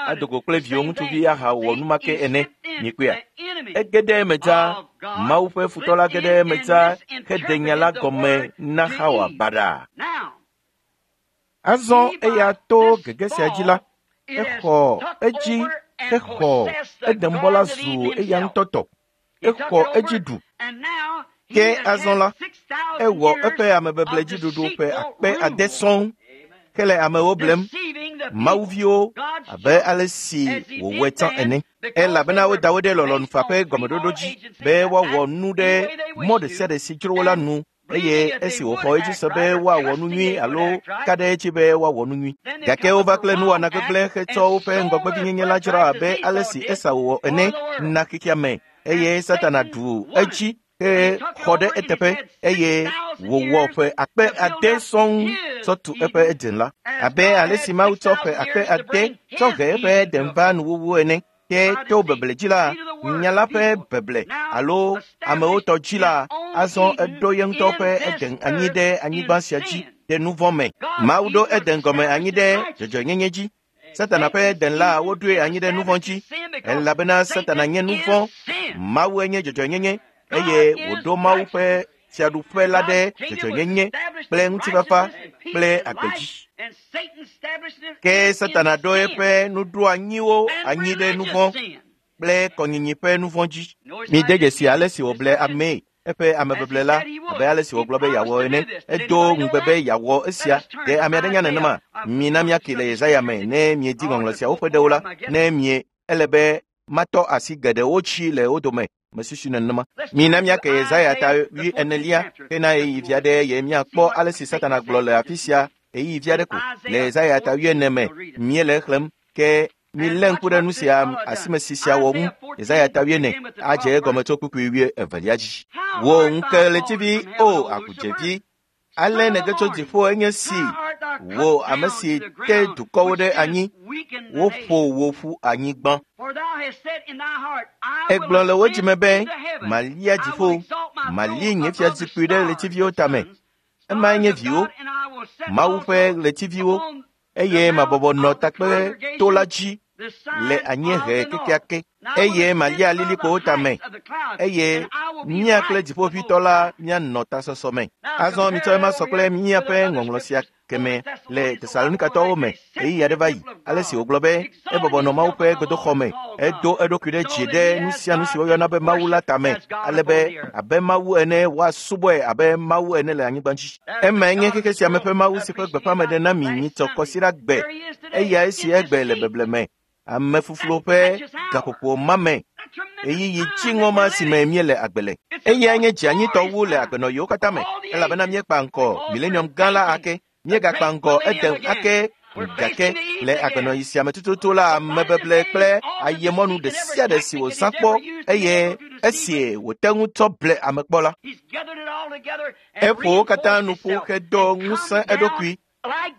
ado go kple viwò ŋutsuvi ahawɔ nu ma ke ene. Miekpɔea, ege ɖe eme dzaa. Mawu ƒe futɔ la ge ɖe eme dzaa heɖe nya la gɔme na Xawa baɖa. Azɔ eya to gege sia dzi la, exɔ edzi hexɔ Edenbɔ la zu eya ŋutɔ tɔ. Exɔ edzi ɖu. Ke azɔ la, ewɔ eƒe amebebledziɖuɖu ƒe akpe ade sɔŋ hele amewo blem, Mawuviwo abe ale si wòwɔe tsã ene. Elabena woda wo ɖe lɔlɔ̃nu faa ƒe gɔmeɖoɖo dzi be woawɔ nu ɖe mɔ ɖe sia ɖe si dzro wo la nu eye esi wòxɔ edzi se be woawɔ nu nyui alo ka ɖe edzi be woawɔ nu nyui. Gake wova kple nuwɔna gbegblẽ hetsɔ woƒe ŋgɔgbevinyenye la dzra abe ale si Esau wɔ ene na xexea me eye Satana ɖu edzi he xɔ ɖe eteƒe eye wòwɔ ƒe akpe ade sɔŋ tsɔ tu eƒe Eden la. Abe ale si Mawu tsɔ ƒe akpe ade tsɔ he eƒe Eden va nuwuwu ene. Ke to beble dzi la, nya la ƒe beble alo amewo tɔ dzi la, azɔ eɖo ye ŋutɔ ƒe Eden anyi ɖe anyigba sia dzi ɖe nu vɔ̃ me. Mawu ɖo Eden gɔme anyi ɖe dzɔdzɔenyenye dzi. Satana ƒe Eden la woɖoe anyi ɖe nu vɔ̃ dzi elabena Satana nye nu vɔ̃, Mawu enye dzɔdzɔenyenye eye wòɖo Mawu ƒe fiaɖuƒe la ɖe dzɔdzɔenyenye kple ŋutifafa kple agbe dzi. Ke Satana ɖo eƒe nuɖoanyiwo anyi ɖe nu vɔ̃ kple kɔnyinyi ƒe nu vɔ̃ dzi. Mide dzesi ale si wòble amee eƒe amebeble la abe ale si wògblɔ be yeawɔ ene. Edo ŋugbe be yeawɔ esia. Ɖe ame aɖe nya nenema? Mina míake le Yesaya me ne miedi ŋɔŋlɔ siawo ƒe ɖewo la, ne mie ele be matɔ asi geɖewo dzi le wo dome Mesusu nenema. Mina míake Yesaya ta wui enelia hena ɣeyiɣi vi aɖe ye míakpɔ ale si Satana gblɔ le afi sia ɣeyiɣi vi aɖe ko. Le Yesaya ta wui ene me míele exlẽm ke milé ŋku ɖe nu sia asimesi sia wɔ ŋu. Yesaya ta wui ene adze egɔme tso kpukpui wui evelia dzi. Wò ŋukeɣletivi, o agudzevi, ale nège tso dziƒo enye si wò ame si te dukɔwo ɖe anyi, woƒo wò ƒu anyigba. Egblɔ le wò dzime be, malia dziƒo, mali nye fiazikpui ɖe ɣletiviwo tame. Emae nye viwo, Mawu ƒe ɣletiviwo, eye mabɔbɔ nɔ takpe to la dzi le anyiehe kekeake, eye malia lilikpowo tame, eye mía kple dziƒoʋĩtɔ la míanɔ tasɔsɔ me. Azɔ mitsɔ ema sɔ kple míaƒe ŋɔŋlɔ sia keme le Tesalonikatɔwo me ɣeyiɣi aɖe va yi, ale si wògblɔ be ebɔbɔ nɔ Mawu ƒe gbedoxɔ me, edo eɖokui ɖe dzi ɖe nu sia nu si woyɔna be Mawu la tame, ale be abe Mawu ene woasubɔe abe Mawu ene le anyigba dzi. Emae nye xexe sia me ƒe Mawu si ƒe gbeƒãmeɖe na mi nyitsɔ kɔsiɖa gbe, eya esi egbe le beble me. Ame fufulo ƒe gaƒoƒo ma me, ɣeyiɣi dziŋɔ ma si me míele agbe le. Eyae nye dzianyitɔ wu le agbenɔɣiwo katã me, elabena míekpa ŋkɔ milenium gã la ake, míegakpa ŋkɔ Eden ake gake le agbenɔɣi sia me tututu la amebeble kple ayemɔnu ɖe sia ɖe si wòzã kpɔ eye esi wòte ŋu tsɔ ble ame kpɔ la, eƒo wo katã nu ƒu hedo ŋusẽ eɖokui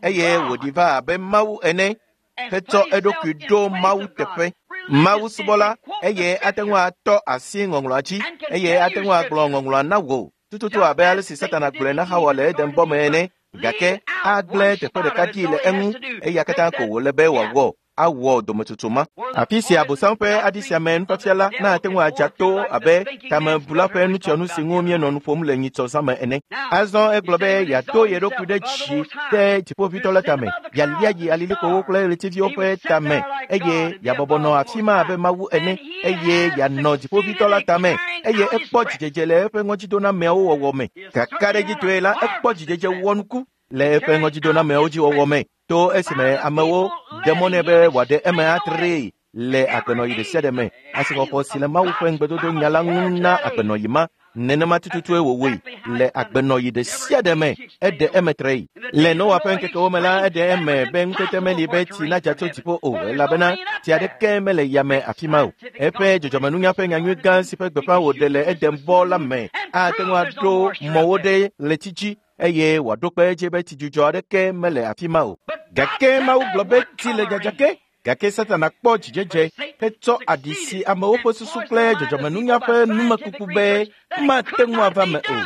eye wòɖi va abe Mawu ene hetsɔ eɖokui ɖo Mawu teƒe. Mawu subɔla eye ate ŋu atɔ asi ŋɔŋlɔa dzi eye ate ŋu agblɔ ŋɔŋlɔa na wò tututu abe ale si Satana gblɔe na Hawa le Eden bɔ me ene, gake agblẽ teƒe ɖeka ɖi le eŋu eya katã ko wòle be wòawɔ awɔ dometsotso ma. Afi sia Abosam ƒe aɖi sia me nufiafia la na ate ŋu adza to abe tamebula ƒe nutsyɔnu si ŋu míenɔ nu ƒom le nyitsɔ zã me ene. Azɔ egblɔ be yeado ye ɖokui ɖe dzi ɖe dziƒoʋĩtɔ la tame, yealia yi alilikpowo kple ɣletiviwo ƒe tame eye yeabɔbɔ nɔ afi ma abe Mawu ene eye yeanɔ dziƒoʋĩtɔ la tame eye ekpɔ dzidzedze le eƒe ŋɔdzidonameawo wɔwɔ me. Kakaɖedzitɔe la, ekpɔ dzidzedze wɔnuku le eƒe ŋɔdzidonameawo dzi wɔwɔ me to esime amewo ɖe mɔ nɛ be wòaɖe eme atree le agbenɔɣi ɖe sia ɖe me. Asixɔxɔ si le Mawu ƒe ŋugbedodo nya la ŋu na agbenɔɣi ma nenema tututue wòwɔe le agbenɔɣi ɖe sia ɖe me. Eɖe eme tree. Le Noa ƒe ŋkekewo me la, eɖe eme be ŋutete meli be tsi nadza tso dziƒo o, elabena tsi aɖeke mele yame afi ma o. Eƒe dzɔdzɔmenunya ƒe nyanyui gã si ƒe gbeƒã wòɖe le Eden bɔ la me ate ŋu aɖo mɔwo ɖe ɣleti dzi eye wòaɖo kpe edzi be tsidzudzɔ aɖeke mele afi ma o. Gake Mawu gblɔ be tsi le dzadza ge. Gake Satana kpɔ dzidzedze hetsɔ aɖi si amewo ƒe susu kple dzɔdzɔmenunya ƒe numekuku be mate ŋu ava me o.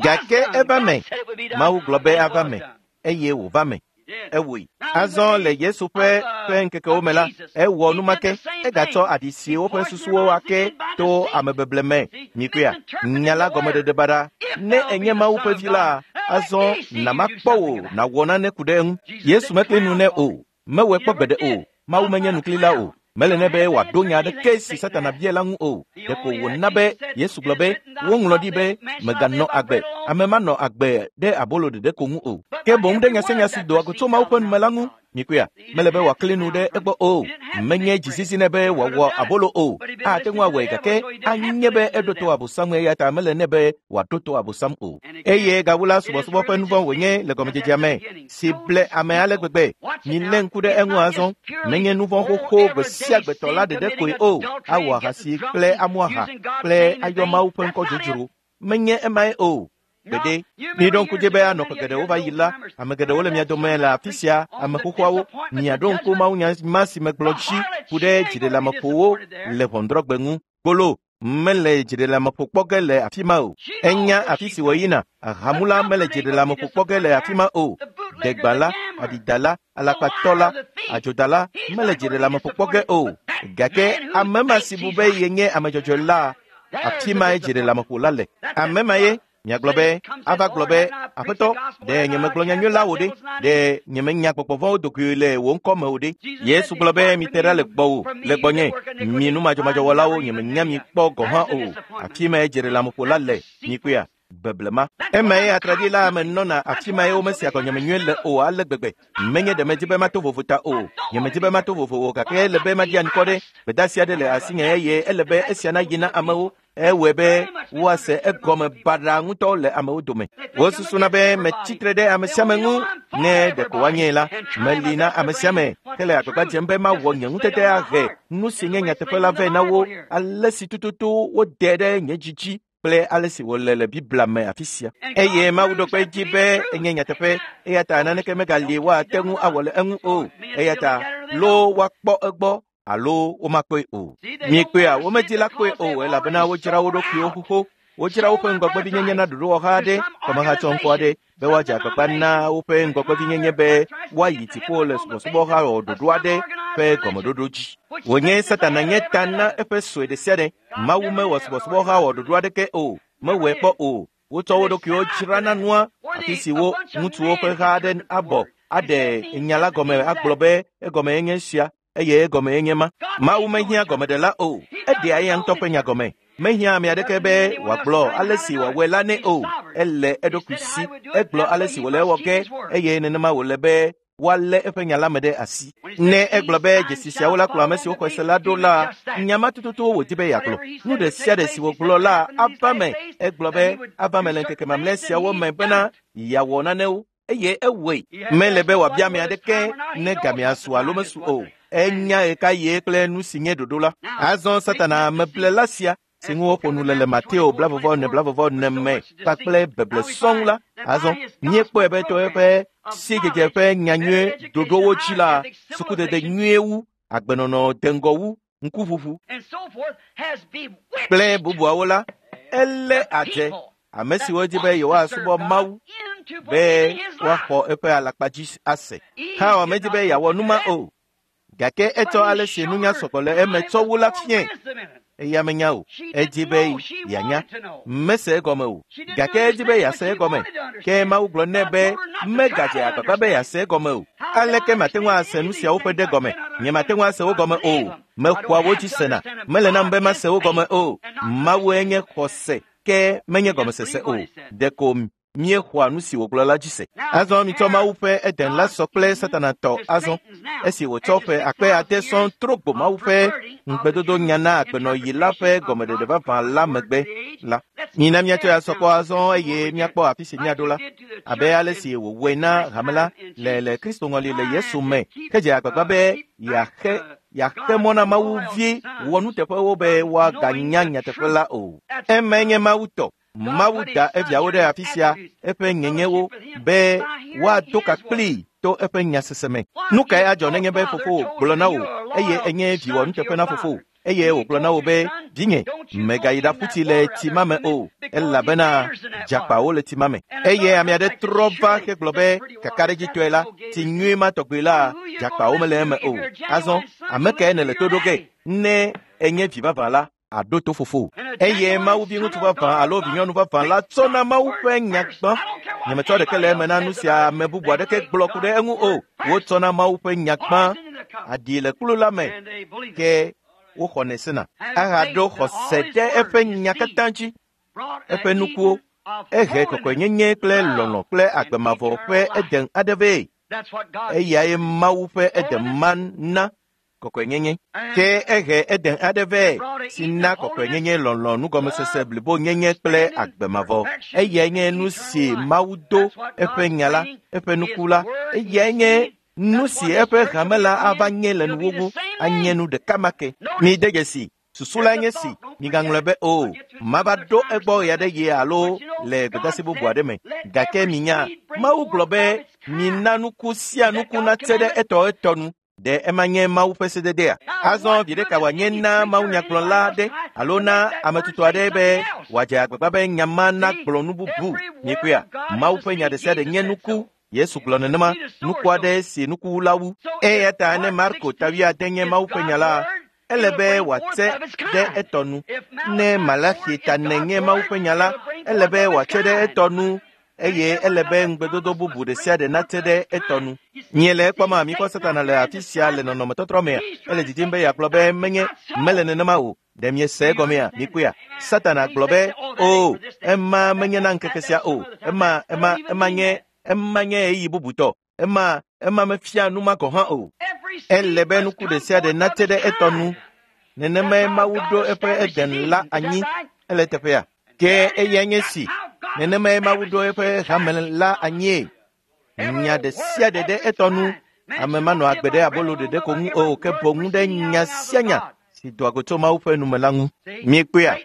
Gake eva me. Mawu gblɔ be ava me eye wòva me. Ewɔe. Azɔ le Yesu ƒe ƒe ŋkekewo me la, ewɔ numake. Egatsɔ aɖi si woƒe susuwo ake to amebeble me. Mikpɔea, nya la gɔmeɖeɖe baɖa. Ne enye Mawu ƒe vi la, azɔ namakpɔ wò nàwɔ nane ku ɖe eŋu. Yesu mekli nu nɛ o. Mewɔe kpɔ gbeɖe o. Mawu menye nuklila o. Mele nɛ be wòaɖo nya aɖeke si Satana bia la ŋu o. Ɖeko wòna be Yesu gblɔ be woŋlɔ ɖi be mèganɔ agbe, ame manɔ agbe ɖe abolo ɖeɖe ko ŋu o, ke boŋ ɖe nya sia nya si doa go tso Mawu ƒe nume la ŋu. Mikpɔea, mele be wòakli nu ɖe egbɔ o. Menye dzizizi nɛ be wòawɔ abolo o. Ate ŋu awɔe gake anye be eɖo to Abosam eya ta mele nɛ be wòaɖo to Abosam o. Eye gawu la, subɔsubɔ ƒe nu vɔ̃ wònye le gɔmedzedzea me si ble ame ale gbegbe. Milé ŋku ɖe eŋu azɔ. Menye nu vɔ̃ xoxo gbe sia gbe tɔ la ɖeɖe koe o. Awɔ ahasi kple amu aha kple ayɔ Mawu ƒe ŋkɔ dzodzro. Menye emae o. Gbeɖe. Miɖo ŋku dzi be anɔ ƒe geɖewo va yi la, ame geɖewo le mia dome le afi sia, ame xoxoawo, miaɖo ŋku mawunya ma si megblɔ dzi ku ɖe dziɖeleameƒowo le ʋɔnudrɔ̃gbe ŋu. Gbolo mele dziɖeleameƒo kpɔ ge le afi ma o. Enya afi si wòyina. Ahamula mele dziɖeleameƒo kpɔ ge le afi ma o. Degbala, aɖidala, alakpatɔ la, adzodala mele dziɖeleameƒo kpɔ ge o. Gake ame ma si bu be yenye ame dzɔdzɔe la, afi mae dziɖeleameƒo la le. Ame ma ye miagblɔ be ava gblɔ be aƒetɔ, ɖe nyemegblɔ nyanyui la wò ɖe? Ɖe nyemenya gbɔgbɔ vɔ̃wo dogoe le wò ŋkɔ me o ɖe? Yesu gblɔ be mite ɖa le gbɔwò, le gbɔnye, mi numadzɔmadzɔwɔlawo, nyemenya mi kpɔ gɔ̃ hã o. Afi mae dziɖeleameƒo la le. Mikpɔea, beblema. Emae atraɖi la ame nɔna afi mae womesia gɔnyeme nyuie le o ale gbegbe. Menye ɖe medzi be mato vovo ta o. Nyemedzi be mato vovo o gake ele be maɖi anukɔ ɖe. Gbedeasi aɖe le asinye eye ele be esia nayi na amewo. Ewɔe be woase egɔme baɖa ŋutɔ le amewo dome. Wosusuna be metsitre ɖe ame sia ame ŋu ne ɖeko woanyee la. Meli na ame sia ame hele agbagba dzem be mawɔ nye ŋutete ahe nu si nye nyateƒe la vɛ na wo ale si tututu wode ɖe nye dzi dzi kple ale si wòle le Biblia me afi sia. Eye Mawu ɖo kpe edzi be enye nyateƒe eya ta naneke megali woate ŋu awɔ le eŋu o. Eya ta loo woakpɔ egbɔ alo womakpɔe o. Miekpɔea, womedi la kpɔe o elabena wodzra wo ɖokuiwo xoxo. Wodzra woƒe ŋgɔgbevinyenye na ɖoɖowɔha aɖe, kɔmehatsɔŋkɔ aɖe be woadze agbagba na woƒe ŋgɔgbevinyenye be woayi dziƒo le subɔsubɔha wɔ ɖoɖo aɖe ƒe gɔmeɖoɖo dzi. Wònye Satana nye ta na eƒe sue ɖe sia ɖe. Mawu mewɔ subɔsubɔha wɔ ɖoɖo aɖeke o, mewɔe kpɔ o. Wotsɔ wo ɖokuiwo dzra na nua afi si wo ŋutsuwo ƒe ha aɖe abɔ aɖe nya la gɔme agblɔ be egɔme nye sia eye egɔme nye ma. Mawu mehiã gɔmeɖela o, eɖea eya ŋutɔ ƒe nya gɔme. Mehiã ame aɖeke be wòagblɔ ale si wòawɔe la nɛ o. Ele eɖokui si, egblɔ ale si wòle ewɔ ge eye nenema wòle be woalé eƒe nya la me ɖe asi. Ne egblɔ be dzesi siawo la kplɔ ame siwo xɔe se la ɖo la, nya ma tututu wòdi be yeagblɔ. Nu ɖe sia ɖe si wògblɔ la ava me. Egblɔ be ava me le ŋkeke mamlɛ siawo me bena yeawɔ nanewo eye ewɔe. Mele be wòabia ame aɖeke ne gamea su alo mesu o. Enya ɣekaɣie kple nu si nye ɖoɖo la. Azɔ Satana ameblela sia si ŋu woƒo nu le le Mateo blavɔvɔ ene blavɔvɔ ene me kpakple beble sɔŋ la. Azɔ míekpɔe be to eƒe sidzedze ƒe nyanyui ɖoɖowo dzi la, sukudede nyuie wu, agbenɔnɔ deŋgɔ wu, ŋkuʋuʋu kple bubuawo la, elé adze ame siwo di be yewoasubɔ Mawu be woaxɔ eƒe alakpa dzi ase. Hawa medi be yeawɔ nu ma o, gake etsɔ ale si nunya sɔgbɔ le eme tsɔ wu la fiae. Eya menya o, edi be yeanya. Mese egɔme o, gake edi be yease egɔme. Ke Mawu gblɔ nɛ be megadze agbagba be yease egɔme o. Aleke mate ŋu ase nu siawo ƒe ɖe gɔme? Nye mate ŋu ase wo gɔme o. Mexɔa wo dzi sena. Mele nam be mase wo gɔme o. Mawue nye xɔse, ke menye gɔmesese o. Ɖeko míexɔa nu si wògblɔ la dzi se. Azɔ mitsɔ Mawu ƒe Eden la sɔ kple Satana tɔ azɔ. Esi wòtsɔ ƒe akpe ade sɔŋ tro gbo Mawu ƒe ŋugbedodo nya na agbenɔɣi la ƒe gɔmeɖeɖe vavã la megbe la, mina míatsɔe asɔ kpɔ azɔ eye míakpɔ afi si míaɖo la, abe ale si wòwɔe na hame la le le Kristo ŋɔli le Yesu me hedze agbagba be yeaxe yeaxe mɔ na Mawu vi wɔnuteƒewo be woaganya nyateƒe la o. Emae nye Mawu tɔ. Mawu da eviawo ɖe afi sia eƒe nyenyewo be woado ka kplii to eƒe nyasese me. Nu kae adzɔ nenye be fofowò gblɔ na wò eye enye vi wɔnuteƒe na fofowò eye wògblɔ na wò be vinye mègayi ɖaƒu tsi le tsi ma me o elabena dzakpawo le tsi ma me. Eye ame aɖe trɔ va hegblɔ be kakaɖedzitɔe la tsi nyui ma tɔgbi la dzakpawo mele eme o. Azɔ ame kae nèle to ɖo ge ne enye vi vavã la aɖo to fofo. Eye Mawu vi ŋutsu vavã alo vinyɔnu vavã la tsɔ na Mawu ƒe nya gbã. Nyemetsɔ ɖeke le eme na nu sia ame bubu aɖeke gblɔ ku ɖe eŋu o. Wotsɔ na Mawu ƒe nya gbã. Aɖi le kplu la me ke woxɔnɛ sena. Ahaɖo xɔse ɖe eƒe nya katã dzi. Eƒe nukuwo ehe kɔkɔenyenye kple lɔlɔ̃ kple agbe mavɔ ƒe Eden aɖe vɛ. Eyae Mawu ƒe Eden ma na kɔkɔenyenye. Ke ehe Eden aɖe vɛ si na kɔkɔenyenye, lɔlɔ̃, nugɔmesese, blibonyenye kple agbe mavɔ. Eyae nye nu si Mawu do eƒe nya la, eƒe nuku la. Eyae nye nu si eƒe hame la ava nye le nuwuwu, anye nu ɖeka ma ke. Mide dzesi, susu la nye si, migaŋlɔe be o, mava ɖo egbɔ ɣe aɖe ɣi alo le gbedeasi bubu aɖe me. Gake minya, Mawu gblɔ be mina nuku sia nuku natse ɖe etɔ etɔ nu. Ɖe ema nye Mawu ƒe sededea? Azɔ viɖe ka wòanye na mawunyagblɔla aɖe alo na ame tutu aɖe be wòadze agbagba be nya ma nagblɔ nu bubu? Miekpɔea, Mawu ƒe nya ɖe sia ɖe nye nuku. Yesu gblɔ nenema, nuku aɖe si nukuwula wu. Eya ta ne Marko ta wuiade nye Mawu ƒe nya la, ele be wòatse ɖe etɔ nu. Ne Malaxi ta ene nye Mawu ƒe nya la, ele be wòatse ɖe etɔ nu eye ele be ŋugbedodo bubu ɖe sia ɖe natse ɖe etɔ nu. Miele ekpɔma mikpɔ Satana le afi sia le nɔnɔmetɔtrɔ mea? Ele didim be yeagblɔ be menye mele nenema o. Ɖe miese egɔmea? Mikpɔea? Satana gblɔ be o, ema menye na ŋkeke sia o. Ema ema ema nye ema nye ɣeyiɣi bubutɔ. Ema ema mefia nu ma gɔ̃ hã o. Ele be nuku ɖe sia ɖe natse ɖe etɔ nu. Nenemae Mawu ɖo eƒe Eden la anyi. Ele teƒea. Ke eyae nye si. Nenemae Mawu ɖo eƒe hame la anyie. Nya ɖe sia ɖe ɖe etɔ nu. Ame manɔ agbe ɖe abolo ɖeɖe ko ŋu o, ke boŋ ɖe nya sia nya si doa go tso Mawu ƒe nume la ŋu. Miekpɔea?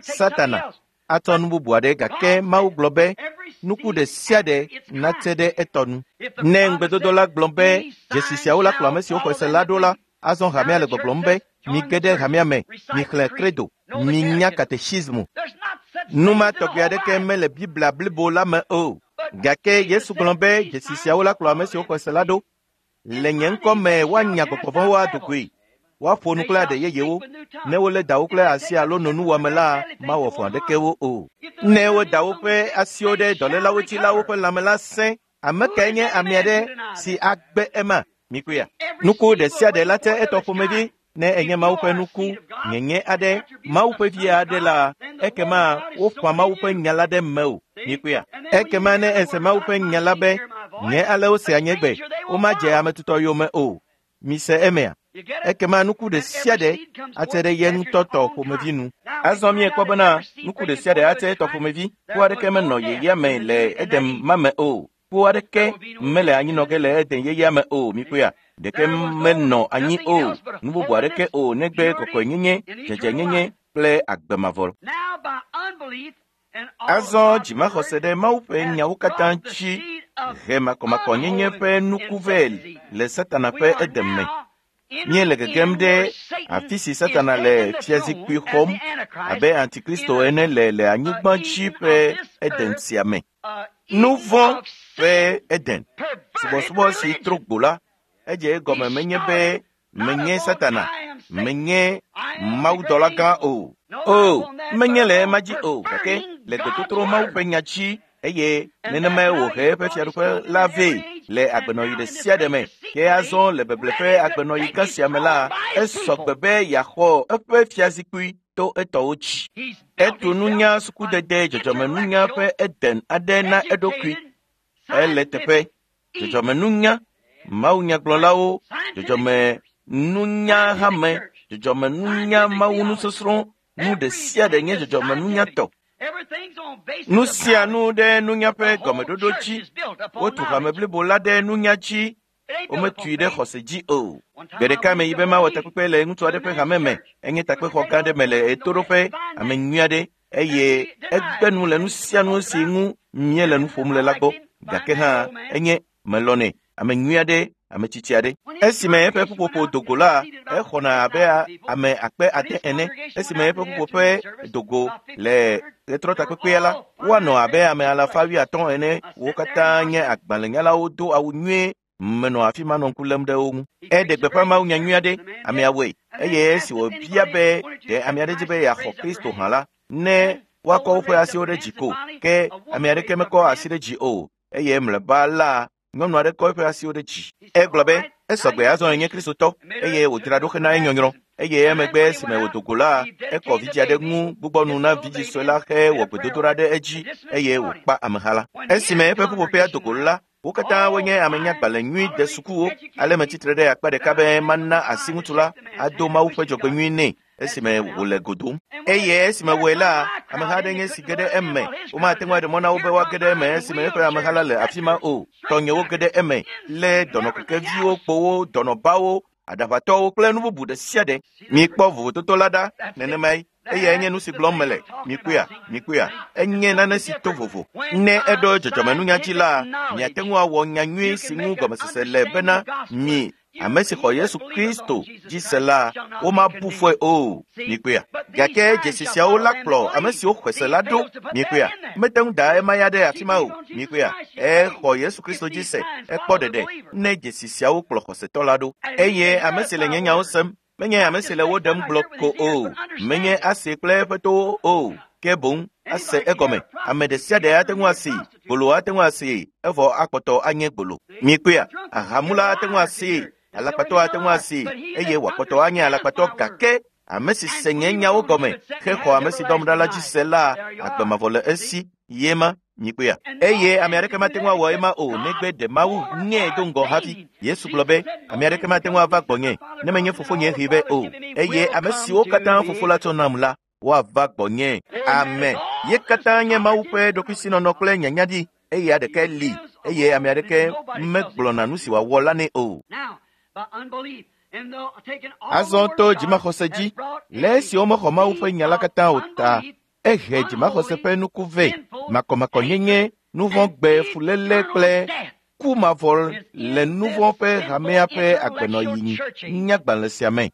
Satana atsɔ nu bubu aɖe gake Mawu gblɔ be nuku ɖe sia ɖe natse ɖe etɔ nu. Ne ŋugbedodo la gblɔ be dzesi siawo la kplɔ ame siwo xɔe se la ɖo la, azɔ hamea le gbɔgblɔm be mige ɖe hamea me, mixlẽ credo, minya katechismu. Nu ma tɔgbi aɖeke mele Biblia blibo la me o. Gake Yesu gblɔ be dzesi siawo la kplɔ ame siwo xɔe se la ɖo. Le nye ŋkɔ me woanya gbɔgbɔ vɔ̃wo ado goe. Woaƒo nu kple aɖe yeyewo. Ne wolé dawo kple asi alo no nuwɔame la, mawɔ vɔ̃ aɖeke wo o. Ne woda woƒe asiwo ɖe dɔlélawo dzi la, woƒe lãme la sẽ. Ame kae nye ame aɖe si agbe ema? Mikpɔea? Nuku ɖe sia ɖe la tse etɔ ƒomevi. Ne enye Mawu ƒe nuku nyenye aɖe, Mawu ƒe vi aɖe la, ekema woƒã Mawu ƒe nya la ɖe mewò. Mikpɔea? Ekema ne ese Mawu ƒe nya la be, nye ale wosea nye gbe, womadze ame tutɔ yome o. Mise emea? Ekema nuku ɖe sia ɖe atse ɖe ye ŋutɔ tɔ ƒomevi nu. Azɔ miekpɔ bena nuku ɖe sia ɖe atse etɔ ƒomevi. Ku aɖeke menɔ yeyea me le Eden ma me o. Ku aɖeke mele anyinɔ ge le Eden yeyea me o. Mikpɔea? Ɖeke menɔ anyi o. Nu bubu aɖeke o negbe kɔkɔenyenye, dzedzenyenye kple agbe mavɔ. Azɔ dzimaxɔse ɖe Mawu ƒe nyawo katã dzi he makɔmakɔnyenye ƒe nuku vɛ le Satana ƒe Eden me. Míele gegem ɖe afi si Satana le fiazikpui xɔm abe Antikristo ene le le anyigba dzi ƒe Eden sia me. Nu vɔ̃ ƒe Eden. Subɔsubɔ si tro gbo la, edze egɔme menye be menye Satana, menye mawudɔla gã o. O, menye le ema dzi o, gake le gbetotro Mawu ƒe nya dzi eye nenemae wòhe eƒe fiaɖuƒe la vɛ le agbenɔɣi ɖe sia ɖe me. Ke azɔ le beble ƒe agbenɔɣi gã sia me la, esɔ gbe be yeaxɔ eƒe fiazikpui to etɔwo dzi. Etu nunya sukudede dzɔdzɔmenunya ƒe Eden aɖe na eɖokui. Ele teƒe dzɔdzɔmenunya, mawunyagblɔlawo, dzɔdzɔmenunya hame, dzɔdzɔmenunya mawunusɔsrɔ̃, nu ɖe sia ɖe nye dzɔdzɔmenunyatɔ. Nu sia nu ɖe nunya ƒe gɔmeɖoɖo dzi. Wotu hame blibo la ɖe nunya dzi. Wometui ɖe xɔse dzi o. Gbe ɖeka meyi be mawɔ takpekpe le ŋutsu aɖe ƒe hame me. Enye takpexɔ gã aɖe me le ɣetoɖoƒe, ame nyui aɖe eye egbe nu le nu sia nu si ŋu míele nu ƒom le la gbɔ. Gake hã enye melɔnɛ, ame nyui aɖe, ame tsitsi aɖe. Esime eƒe ƒuƒoƒo do go la, exɔna abe ame akpe ade ene. Esime eƒe ƒuƒoƒe do go le ɣetrɔ takpekpea la, woanɔ abe ame alafa wuiatɔ̃ ene. Wo katã nye agbalẽnyalawo do awu nyuie. Menɔ afi ma nɔ ŋku lém ɖe wo ŋu. Eɖe gbeƒã mawunya nyui aɖe, amea wɔe. Eye esi wòbia be ɖe ame aɖe dzi be yeaxɔ Kristo hã la, ne woakɔ woƒe asiwo ɖe dzi ko. Ke ame aɖeke mekɔ asi ɖe dzi o. Eye mlɔeba la, nyɔnu aɖe kɔ eƒe asiwo ɖe dzi. Egblɔ be esɔgbe azɔ enye Kristotɔ eye wòdzra ɖo hena enyɔnyrɔ. Eye emegbe esime wòdo go la, ekɔ vidzi aɖe ŋu gbugbɔ nu na vidzi sue la hewɔ gbedodoɖa ɖe edzi eye wòkpa ameha la. Esime eƒe ƒuƒoƒea do go la, wo katã wonye amenyagbalẽ nyui de sukuwo. Ale metsitre ɖe akpa ɖeka be mana asi ŋutsu la ado Mawu ƒe dzɔgbenyui nɛ esime wòle go dom. Eye esime wɔe la, ameha aɖe nye si ge ɖe eme. Womate ŋu aɖe mɔ na wo be woage ɖe eme esime eƒe ameha la le afi ma o. Tɔnyewo ge ɖe eme lé dɔnɔkekeviwo, kpowo, dɔnɔbawo, aɖaʋatɔwo kple nu bubu ɖe sia ɖe. Mikpɔ vovototo la ɖa nenemae. Eyae nye nu si gblɔm mele. Mikpɔea? Mikpɔea? Enye nane si to vovo. Ne eɖo dzɔdzɔmenunya dzi la, miate ŋu awɔ nya nyui si ŋu gɔmesese le bena mi ame si xɔ Yesu Kristo dzi se la, womabu fɔe o. Mikpɔea? Gake dzesi siawo la kplɔ ame siwo xɔe se la ɖo. Mikpɔea? Mete ŋu da ema ya ɖe afi ma o. Mikpɔea? Exɔ Yesu Kristo dzi se, ekpɔ ɖeɖe ne dzesi siawo kplɔ xɔsetɔ la ɖo. Eye ame si le nye nyawo sem, menye ame si le wo ɖem gblɔ ko o, menye ase kple eƒe towo o, ke boŋ ase egɔme. Ame ɖe sia ɖe ate ŋu asee, gbolo ate ŋu asee, evɔ akpɔtɔ anye gbolo. Mikpɔea? Ahamula ate ŋu asee, alakpatɔ ate ŋu asee, eye wòakpɔtɔ anye alakpatɔ gake ame si se nye nyawo gɔme hexɔ ame si dɔm ɖa la dzi se la, agbe mavɔ le esi ye ma. Mikpɔea? Eye ame aɖeke mate ŋu awɔ ema o negbe ɖe Mawu ŋee do ŋgɔ hafi. Yesu gblɔ be ame aɖeke mate ŋu ava gbɔnye ne menye fofonye hee vɛ o. Eye ame siwo katã fofo la tsɔ nam la, Woava gbɔnye. Amen. Ye katã nye Mawu ƒe ɖokuisinɔnɔ kple nyanyaɖi eye aɖeke li eye ame aɖeke megblɔna nu si wòawɔ la nɛ o. Azɔ to dzimaxɔse dzi, le esi womexɔ Mawu ƒe nya la katã o ta, ehe dzimaxɔse ƒe nuku vɛ, makɔmakɔnyenye, nuvɔ̃gbe, fuléle kple ku mavɔ le nuvɔ̃ ƒe hamea ƒe agbenɔyi nyagbalẽ sia me.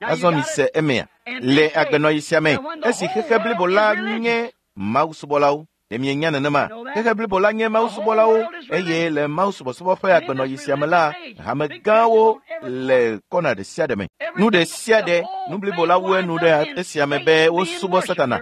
Azɔ mise emea. Le agbenɔyi sia me, esi xexe blibo la nye mawusubɔlawo. Ɖe mienya nenema? Xexe blibo la nye mawusubɔlawo eye le mawusubɔsubɔ ƒe agbenɔyi sia me la, hame gãwo le kɔna ɖe sia ɖe me. Nu ɖe sia ɖe, nu blibo la wu enu ɖe esia me be wosubɔ Satana.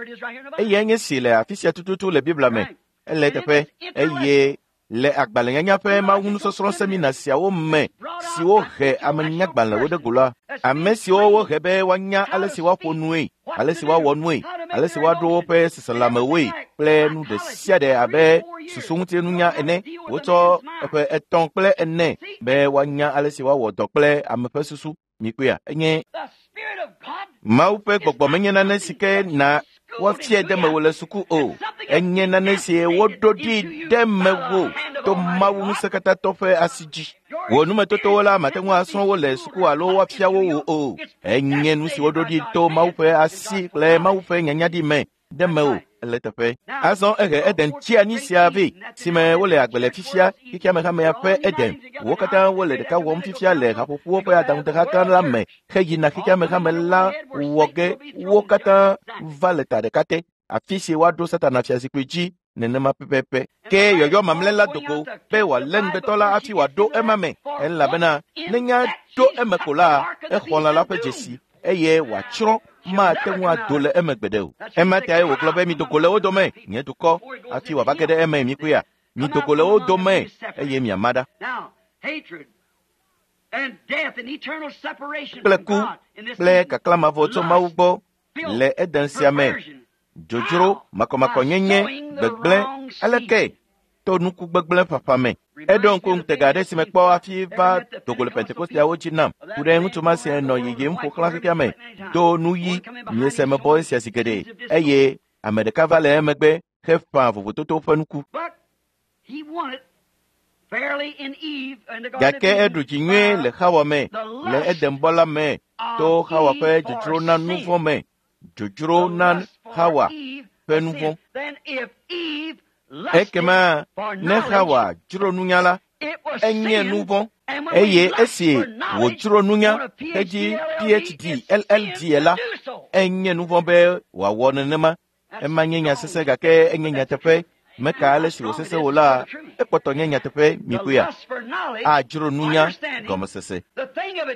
Eyae nye si le afi sia tututu le Biblia me. Ele eteƒe eye le agbalẽnyanya ƒe mawunusɔsrɔ̃ semina siawo me siwo he amenyagbalẽwo ɖe go la, ame siwo wohe be woanya ale si woaƒo nue, ale si woawɔ nue, ale si woaɖo woƒe seselãmewoe kple nu ɖe sia ɖe abe susuŋutinunya ene. Wotsɔ eƒe etɔ̃ kple ene be woanya ale si woawɔ dɔ kple ame ƒe susu. Mikpɔea, enye Mawu ƒe gbɔgbɔ menye nane si ke na woafiae ɖe mewò le suku o. Enye nane si woɖo ɖi ɖe mewò to Mawu ŋusẽkatãtɔ ƒe asi dzi. Wò numetotowo la mate ŋu asrɔ̃ wo le suku alo woafia wo wò o. Enye nu si woɖo ɖi to Mawu ƒe asi kple Mawu ƒe nyanyaɖi me ɖe mewò le teƒe. Azɔ ehe Eden tsi anyi sia vɛ si me wole agbe le fifia xexeame hamea ƒe Eden. Wo katã wole ɖeka wɔm fifia le haƒoƒowo ƒe aɖaŋudeha gã la me heyina xexeame hame la wɔ ge wo katã va le ta ɖeka te. Afi si woaɖo Satana fiazikpui dzi nenema pɛpɛpɛ. Ke yɔyɔ mamlɛ la dogo be wòalé ŋugbetɔ la hafi wòaɖo ema me elabena ne nya ɖo eme ko la, exɔ lã la ƒe dzesi eye wòatsrɔ̃ mate ŋu ado le eme gbeɖe o. Ema tae wògblɔ be mi dogo le wo dome, nye dukɔ, hafi wòava ge ɖe eme mikpɔea. Mi dogo le wo dome eye miama ɖa. Kple ku kple kaklã mavɔ tso Mawu gbɔ le Eden sia me, dzodzro, makɔmakɔnyenye, gbegblẽ, aleke to nuku gbegblẽ ƒaƒã me. Eɖo ŋku ŋutega aɖe si mekpɔ hafi va dogo le Pentekosteawo dzi nam. Ku ɖe ŋutsu ma si nɔ yiyim ƒo xlã xexea me do nu ɣi miese mebɔ esia zi geɖe eye ame ɖeka va le emegbe heƒã vovototo ƒe nuku. Gake eɖu dzi nyuie le Xawa me, le Edenbɔ la me, to Xawa ƒe dzodzro na nu vɔ̃ me, dzodzro na Xawa ƒe nu vɔ̃. Ekema ne Xawa dzro nunya la, enye nu vɔ̃ eye esi wòdzro nunya hedzi P H D L L D la, enye nu vɔ̃ be wòawɔ nenema. Ema nye nya sesẽ gake enye nyateƒe. Meka ale si wòsesẽ wò la, ekpɔtɔ nye nyateƒe mikpɔea. Adzro nunya gɔmesese.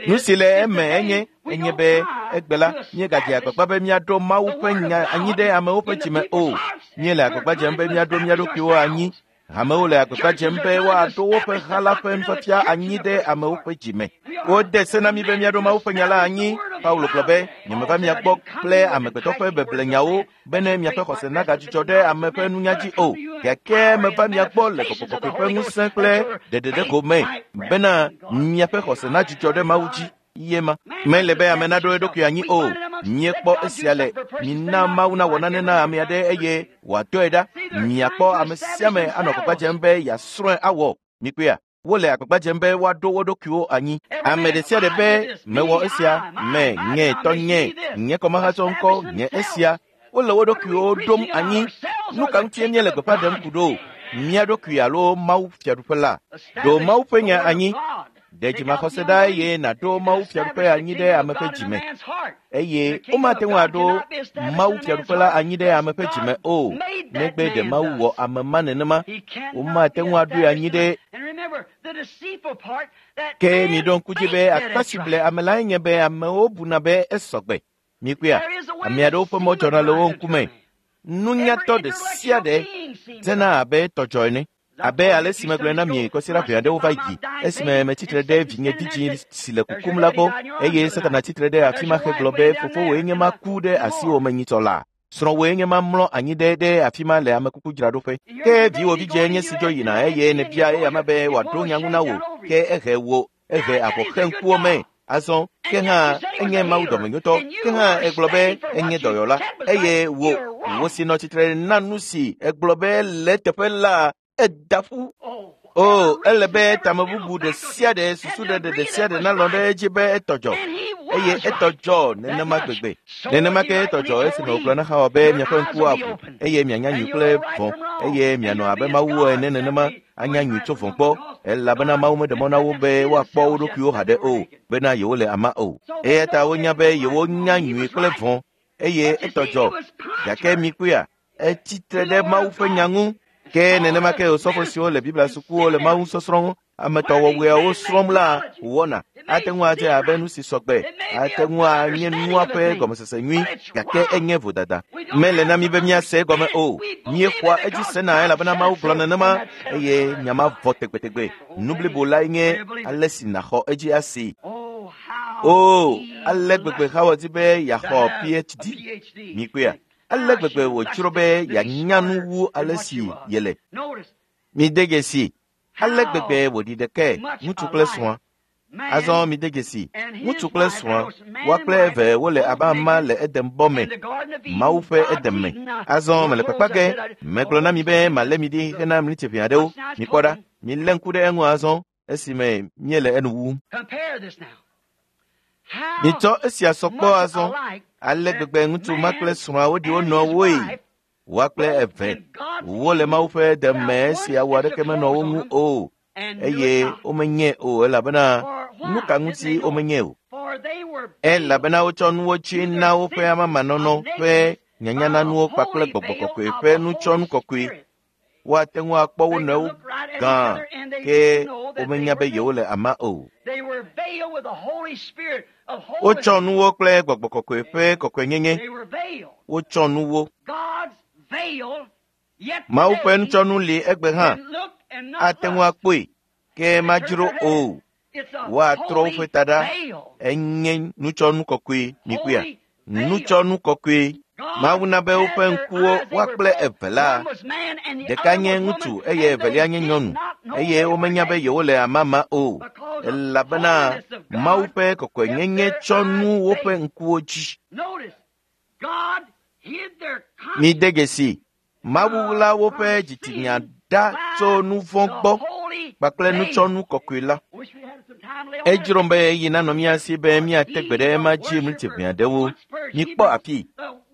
Nu si le eme enye enye be egbe la míegadze agbagba be míaɖo Mawu ƒe nya anyi ɖe amewo ƒe dzime o. Míele agbagba dzem be míaɖo mía ɖokuiwo anyi. Hamewo le agbagba dzem be woaɖo woƒe ha la ƒe nufiafia anyi ɖe amewo ƒe dzime. Wode se na mí be míaɖo Mawu ƒe nya la anyi. Paulo gblɔ be, nyemeva mia gbɔ kple amegbetɔ ƒe beblenyawo bene miaƒe xɔse nagadzudzɔ ɖe ame ƒe nunya dzi o. Gake meva mia gbɔ le Gbɔgbɔ Kɔkɔe ƒe ŋusẽ kple ɖeɖeɖego me bena miaƒe xɔse nadzudzɔ ɖe Mawu dzi. Ye ma. Mele be ame naɖo eɖokui anyi o. Míekpɔ esia le mina Mawu nawɔ nane na ame aɖe eye wòadɔe ɖa. Miakpɔ ame sia ame anɔ agbagba dzem be yeasrɔ̃e awɔ. Mikpɔea? Wole agbagba dzem be woaɖo wo ɖokuiwo anyi. Ame ɖe sia ɖe be mewɔ esia, me nye tɔ nye, nye kɔmahatsɔ ŋkɔ nye esia. Wole wo ɖokuiwo ɖom anyi. Nu ka ŋutie míele gbeƒã ɖem ku ɖo? Mía ɖokui alo Mawu fiaɖuƒe la? Ɖo Mawu ƒe nya anyi. Ɖe dzimaxɔse ɖa eye nàɖo Mawu fiaɖuƒe anyi ɖe ame ƒe dzime. Eye womate ŋu aɖo Mawu fiaɖuƒe la anyi ɖe ame ƒe dzime o, negbe ɖe Mawu wɔ ame ma nenema. Womate ŋu aɖoe anyi ɖe. Ke miɖo ŋku dzi be akpa si ble ame lae nye be amewo buna be esɔgbe. Mikpɔea, ame aɖewo ƒe mɔ dzɔna le wo ŋkume. Nunyatɔ ɖe sia ɖe dzena abe tɔdzɔ ene. Abe ale si megblɔe na mi kɔsiɖa ʋɛ aɖewo va yi esime metsitre ɖe vinye vidzĩ si le kukum la gbɔ eye Satana tsitre ɖe afi ma hegblɔ be fofowòe nye ma ku ɖe asiwò me nyitsɔ la. Srɔ̃wòe nye ma mlɔ anyi ɖe ɖe afi ma le amekukudzraɖoƒe. Ke viwò vidzĩe nye si dzo yina eye nèbia eyama be wòaɖo nya ŋu na wò ke ehe wò ehe avɔ xe ŋkuwo me. Azɔ Ke hã enye Mawu dɔmenyotɔ. Ke hã egblɔ be enye dɔyɔla. Eye wò wò si nɔ tsitre na nu si egblɔ be le teƒe la eda ƒu. O, ele be tamebubu ɖe sia ɖe, susu ɖeɖe ɖe sia ɖe nalɔ̃ ɖe edzi be etɔ dzɔ. Eye etɔ dzɔ nenema gbegbe. Nenema ke etɔ dzɔ esime wògblɔ na Xawa be miaƒe ŋkuwo aʋu eye mianya nyui kple vɔ̃ eye mianɔ abe Mawu ene nenema anya nyui tso vɔ̃ gbɔ elabena Mawu meɖe mɔ na wo be woakpɔ wo ɖokuiwo haɖe o bena yewole ama o. Eya ta wonya be yewonya nyui kple vɔ̃ eye etɔ dzɔ. Gake mikpɔea, etsi tre ɖe Mawu ƒe nya ŋu. Ke nenema ke osɔfo siwo le Biblia sukuwo le Mawu sɔsrɔ̃ ŋu, ame tɔwɔwɔeawo srɔ̃m la wɔna. Ate ŋu adze abe nu si sɔgbe, ate ŋu anye nua ƒe gɔmesese nyui, gake enye vodada. Mele na mi be míase egɔme o. Míexɔa edzi sena elabena Mawu gblɔ nenema eye nya ma vɔ tegbetegbe. Nu blibo lae nye ale si nàxɔ edzi asi. O, ale gbegbe Xawa di be yeaxɔ P H D. Mikpɔea? Ale gbegbe wòdzro be yeanya nu wu ale si yele. Mide dzesi ale gbegbe wòɖi ɖekae ŋutsu kple srɔ̃a. Azɔ mide dzesi ŋutsu kple srɔ̃a, woa kple eve wole abe ama le Eden bɔ me, Mawu ƒe Eden me. Azɔ mele kpakpa ge, megblɔ na mi be malé mi ɖi hena miniti ʋɛ aɖewo. Mikpɔ ɖa, milé ŋku ɖe eŋu azɔ esime míele enu wum. Mitsɔ esia sɔ kpɔ azɔ. Ale gbegbe ŋutsu ma kple srɔ̃a woɖi wo nɔewoe. Woa kple eve wole Mawu ƒe Eden me esi awu aɖeke menɔ wo ŋu o eye womenyae o elabena nu ka ŋuti womenyae o? Elabena wotsɔ nuwo tsi na woƒe amamanɔnɔ ƒe nyanyananuwo kpakple gbɔgbɔ kɔkɔe ƒe nutsɔnu kɔkɔe. Woate ŋu akpɔ wo nɔewo gã ke womenya be yewole ama o. Wotsɔ nuwo kple gbɔgbɔ kɔkɔe ƒe kɔkɔenyenye. Wotsɔ nuwo. Mawu ƒe nutsɔnu li egbe hã. Ate ŋu akpɔe, ke madzro o. Woatrɔ woƒe ta ɖa. Enye nutsɔnu kɔkɔe mikpɔea? Nutsɔnu kɔkɔe. Mawu na be woƒe ŋkuwo woa kple eve la, ɖeka nye ŋutsu eye evelia nye nyɔnu eye womenya be yewole amama o elabena Mawu ƒe kɔkɔenyenye tsɔ nu woƒe ŋkuwo dzi. Mide dzesi Mawu ɣla woƒe dzitsinya ɖa tso nu vɔ̃ gbɔ kpakple nutsɔnu kɔkɔe la. Edzrom be ɣeyiɣi nanɔ mía si be míate gbe ɖe ema dzi miniti ʋɛ aɖewo. Mikpɔ afi.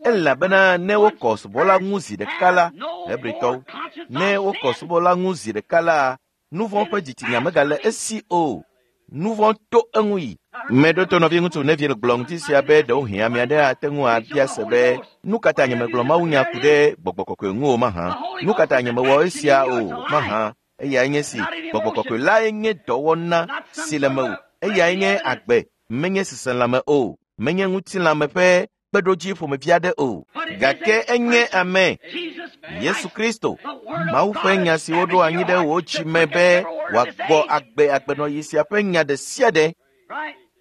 Elabena ne wokɔ subɔla ŋu zi ɖeka la, Hebritɔwo, ne wokɔ subɔla ŋu zi ɖeka la, nu vɔ̃ ƒe dzitsinya megale esi o. Nu vɔ̃ to eŋu yi. Meɖo to nɔviŋutsu Neville gblɔ ŋuti sia be ɖewohĩ ame aɖe ate ŋu abia se be nu ka ta nyemegblɔ mawunya ku ɖe gbɔgbɔ kɔkɔe ŋu o mahã? Nu ka ta nyemewɔ esia o mahã? Eyae nye si gbɔgbɔ kɔkɔe lae nye dɔwɔna si le mewò. Eyae nye agbe, menye seselãme o, menye ŋutilãme ƒe kpeɖodzi ƒomevi aɖe o. Gake enye ame, Yesu Kristo, Mawu ƒe nya si woɖo anyi ɖe wò dzi me be wòagbɔ agbe agbenɔɣi sia ƒe nya ɖe sia ɖe.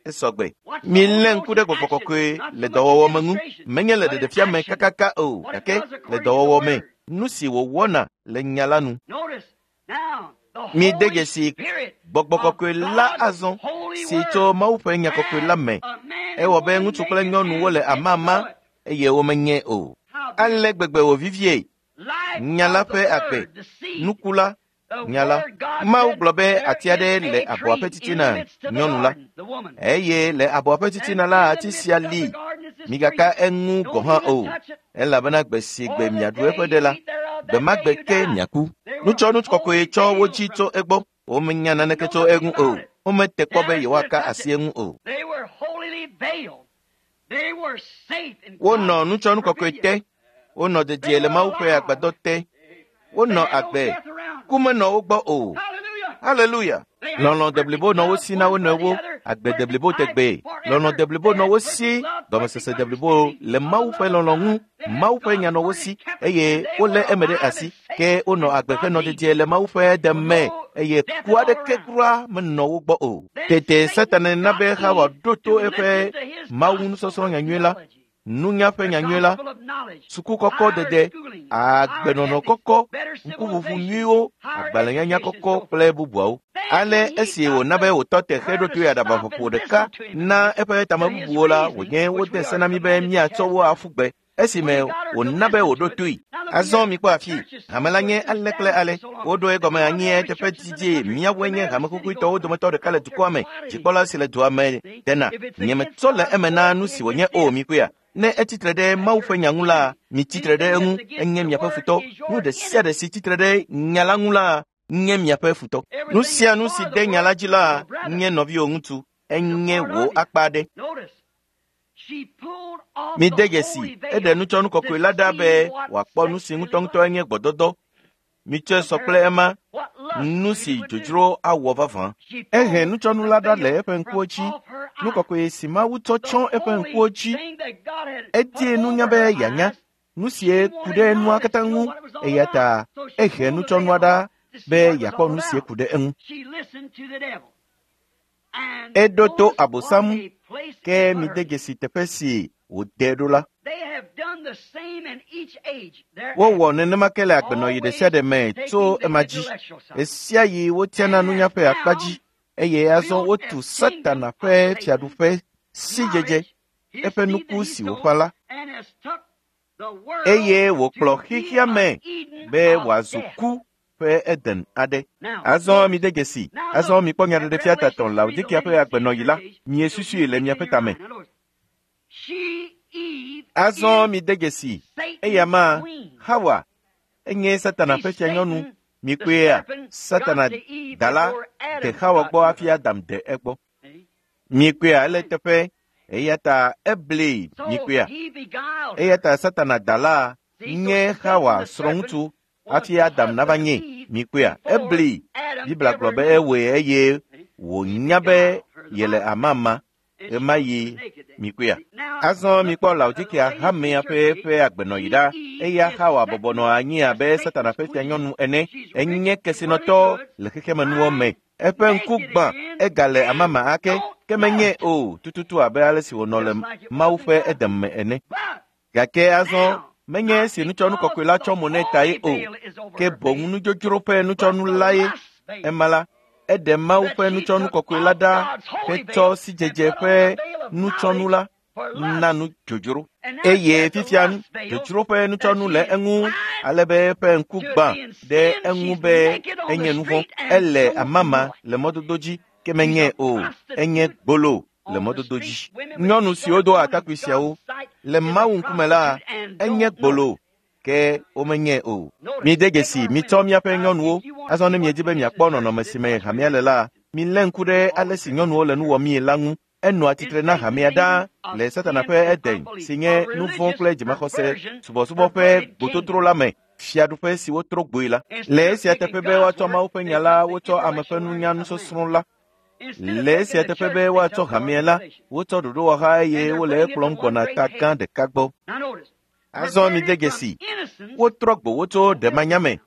Esɔgbe. Milé ŋku ɖe gbɔgbɔ kɔkɔe le dɔwɔwɔ me ŋu. Menye le ɖeɖefia me kakaka o, gake le dɔwɔwɔ me, nu si wòwɔna le nya la nu. Mide dzesi gbɔgbɔ kɔkɔe la azɔ si tso Mawu ƒe nya kɔkɔe la me. Ewɔ be ŋutsu kple nyɔnu wole amama eye womenyae o. Ale gbegbe wòvivie. Nya la ƒe agbe, nuku la, nya la. Mawu gblɔ be ati aɖe le abɔa ƒe titina nyɔnu la eye le abɔa ƒe titina la ati sia li. Migaka eŋu gɔ̃ hã o elabena gbe si gbe miaɖu eƒe ɖe la, gbe ma gbe ke miaku. Nutsɔnu kɔkɔe tsɔ wo dzi tso egbɔ. Womenya naneke tso eŋu o. Womete kpɔ be yewoaka asi eŋu o. Wonɔ nutsɔnu kɔkɔe te. Wonɔ dedie le Mawu ƒe agbadɔ te. Wonɔ agbe. Ku menɔ wo gbɔ o. Haleluya! Lɔlɔ̃ deblibo nɔ wo si na wo nɔewo, agbe deblibo tegbee. Lɔlɔ̃ deblibo nɔ wo si, gɔmesese deblibo le Mawu ƒe lɔlɔ̃ ŋu. Mawu ƒe nya nɔ wo si eye wolé eme ɖe asi. Ke wonɔ agbe henɔ dedie le Mawu ƒe deme eye ku aɖeke kura menɔ wo gbɔ o. Tete Satana na be Xawa ɖo to eƒe Mawu nusɔsrɔ̃ nyanyui la. Nunya ƒe nyanyui la, suku kɔkɔ dede, agbenɔnɔ kɔkɔ, ŋkuʋuʋu nyuiwo, agbalẽnyanya kɔkɔ kple bubuawo. Ale esi wòna be wòtɔ te xeɖotoe aɖabaƒoƒo ɖeka na eƒe tamebubuwo la, wònye wode se na mí be míatsɔ wo aƒu gbe esime wòna be wòɖo toe. Azɔ mikpɔ afi, hame la nye ale kple ale. Woɖo egɔme anyi eteƒe didi. Míawoe nye hame kukuitɔwo dometɔ ɖeka le dukɔa me. Dzikpɔla si le dua me dena. Nyemetsɔ le eme na nu si wònye o mikpɔea. Ne etsitre ɖe Mawu ƒe nya ŋu la, mitsitre ɖe eŋu, enye miaƒe futɔ. Nu ɖe sia ɖe si tsitre ɖe nya la ŋu la, nye miaƒe futɔ. Nu sia nu si de nya la dzi la, nye nɔviwò ŋutsu, enye wò akpa aɖe. Mide dzesi, eɖe nutsɔnu kɔkɔe la ɖa be wòakpɔ nu si ŋutɔŋutɔ enye gbɔdɔdɔ. Mitsɔe sɔ kple ema, nu si dzodzro awɔ vavã. Ehe nutsɔnu la ɖa le eƒe ŋkuwo dzi, nu kɔkɔe si Mawu tsɔ tsyɔ eƒe ŋkuwo dzi. Edie nunya be yeanya nu sie ku ɖe nua katã ŋu, eya ta ehe nutsɔnua ɖa be yeakpɔ nu sie ku ɖe eŋu. Eɖo to Abosam, ke mide dzesi teƒe si wòde ɖo la. Wowɔ nenema ke le agbenɔɣi ɖe sia ɖe me tso ema dzi. Ɣe sia ɣi wotiana nunya ƒe akpa dzi eye azɔ wotu Satana ƒe fiaɖuƒe sidzedze, eƒe nuku si wòƒã la. Eye wòkplɔ xexea me be wòazu ku ƒe Eden aɖe. Azɔ mide dzesi, azɔ mikpɔ nyaɖeɖefia tatɔ Laodikia ƒe agbenɔɣi la, miesusui le miaƒe tame. Azɔ mide dzesi, eya ma, Hawa, enye Satana ƒe fianyɔnu. Mikpɔea, Satana da la de Hawa gbɔ hafi Adam de egbɔ. Mikpɔea, ele teƒe, eya ta eblee mikpɔea. Eya ta Satana da la nye Hawa srɔ̃ŋutsu hafi Adam nava nye. Mikpɔea, eblee. Biblia gblɔ be ewɔe eye wònya be yele amama ɣemaɣi mikpɔea. Azɔ mikpɔ Laodikia hamea ƒe ƒe agbenɔɣi ɖa. Eya Hawa bɔbɔ nɔ anyi abe Satana ƒe fianyɔnu ene. Enye kesinɔtɔ le xexemenuwo me. Eƒe ŋku gbã, egale amama ake, ke menye o tututu abe ale si wònɔ le Mawu ƒe Eden me ene. Gake azɔ menye esi nutsɔnu kɔkɔe la tsɔ mo nɛ ta ye o, ke boŋ nudzodzro ƒe nutsɔnu la ye. Ema la, eɖe Mawu ƒe nutsɔnu kɔkɔe la ɖa hetsɔ sidzedze ƒe nutsɔnu la na nu dzodzro. Eye fifia dzodzro ƒe nutsɔnu le eŋu ale be eƒe ŋku gbã ɖe eŋu be enye nu vɔ̃. Ele amama le mɔdodo dzi, ke menye o, enye gbolo le mɔdodo dzi. Nyɔnu siwo do atakpui siawo le Mawu ŋkume la, enye gbolo, ke womenye o. Mide dzesi, mitsɔ miaƒe nyɔnuwo. Azɔ ne miedi be miakpɔ nɔnɔme si me hamea le la, milé ŋku ɖe ale si nyɔnuwo le nu wɔmii la ŋu. Enɔa tsitre na hamea ɖaa le Satana ƒe Eden si nye nu vɔ̃ kple dzimaxɔse subɔsubɔ ƒe gbototro la me, fiaɖuƒe si wotro gboe la. Le esia teƒe be woatsɔ Mawu ƒe nya la, wotsɔ ame ƒe nunya nusɔsrɔ̃ la. Le esia teƒe be woatsɔ hamea la, wotsɔ ɖoɖowɔha eye wole ekplɔm gbɔna ta gã ɖeka gbɔ. Azɔ mide dzesi, wotrɔ gbo wo tso ɖemanya me.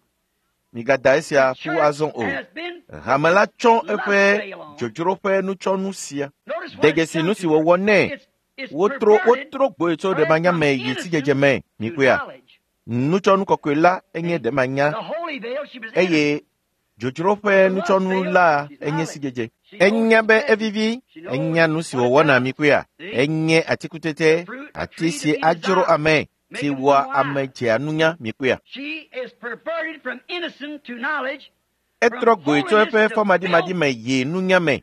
Migada esia ƒu azɔ o. Hame la tsɔ eƒe dzodzro ƒe nutsɔnu sia. De dzesi nu si wòwɔ nɛ. Wotro wotro gboe tso ɖemanya me yi sidzedze me. Mikpɔea, nutsɔnu kɔkɔe la enye ɖemanya eye dzodzro ƒe nutsɔnu la enye sidzedze. Enya be evivi, enya nu si wòwɔna mikpɔea, enye atikutete, ati si adzro ame, si wɔa ame dzea nunya mikpɔea. Etrɔ gboe tso eƒe fɔmaɖimaɖi me yi nunya me,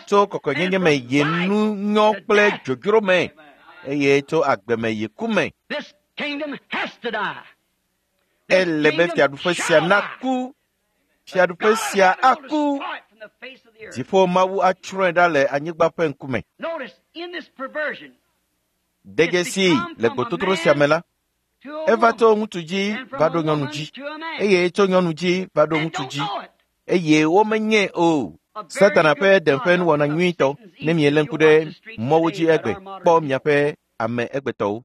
tso kɔkɔenyenye me yi nunyɔ kple dzodzro me, eye tso agbe me yi ku me. Ele be fiaɖuƒe sia naku. Fiaɖuƒe sia aku. Dziƒo Mawu atsrɔ̃e ɖa le anyigba ƒe ŋkume. De dzesi le gbototro sia me la, eva tso ŋutsu dzi va ɖo nyɔnu dzi, eye tso nyɔnu dzi va ɖo ŋutsu dzi, eye womenye o. Satana ƒe Eden ƒe nuwɔna nyuitɔ, ne mielé ŋku ɖe mɔwo dzi egbe, kpɔ miaƒe ame egbetɔwo.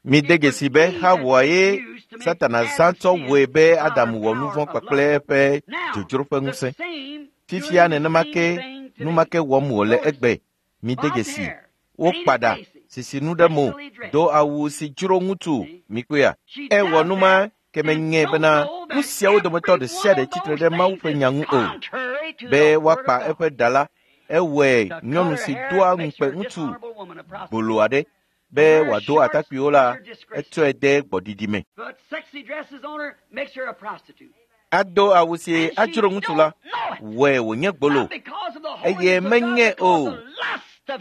Mide dzesi be Hawa ye Satana zã tsɔ wɔe be Adam wɔ nu vɔ̃ kpakple eƒe dzodzro ƒe ŋusẽ. Fifia nenema ke nu ma ke wɔm wòle egbe. Mide dzesi, wokpa ɖa, sisi nu ɖe mo, do awu si dzro ŋutsu, mikpɔea. Ewɔ nu ma ke menye bena nu siawo dometɔ ɖe sia ɖe tsitre ɖe Mawu ƒe nya ŋu o. Be woakpa eƒe ɖa la, ewɔe nyɔnu si doa ŋukpe ŋutsu gbolo aɖe be wòado atakpuiwo la, etsɔe de gbɔɖiɖi me. Ado awu si adzro ŋutsu la, wɔe wònye gbolo eye menye o.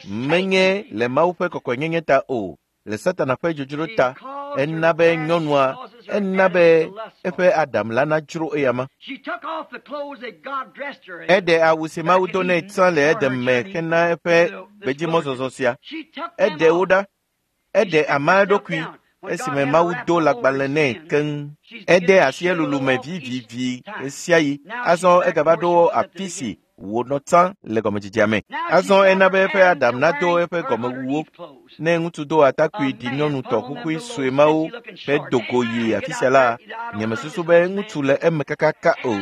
Menye le Mawu ƒe kɔkɔenyenye ta o, le Satana ƒe dzodzro ta, ena be nyɔnua, ena be eƒe Adam la nadzro eyama. Eɖe awu si Mawu do nɛ tsã le Eden me hena eƒe gbedzimɔzɔzɔ sia. Eɖe wo ɖa. Eɖe ama eɖokui esime Mawu do lãgbalẽ nɛ keŋ. Ede asi elulu me vivivi ɣesiaɣi. Azɔ egava ɖo afi si wònɔ tsã le gɔmedzedzea me. Azɔ ena be eƒe Adam nado eƒe gɔmewuwo. Ne ŋutsu do atakpui ɖi nyɔnu tɔ xoxoe sue mawo hedo go yi afi sia la, nyemesusu be ŋutsu le eme kakaka o.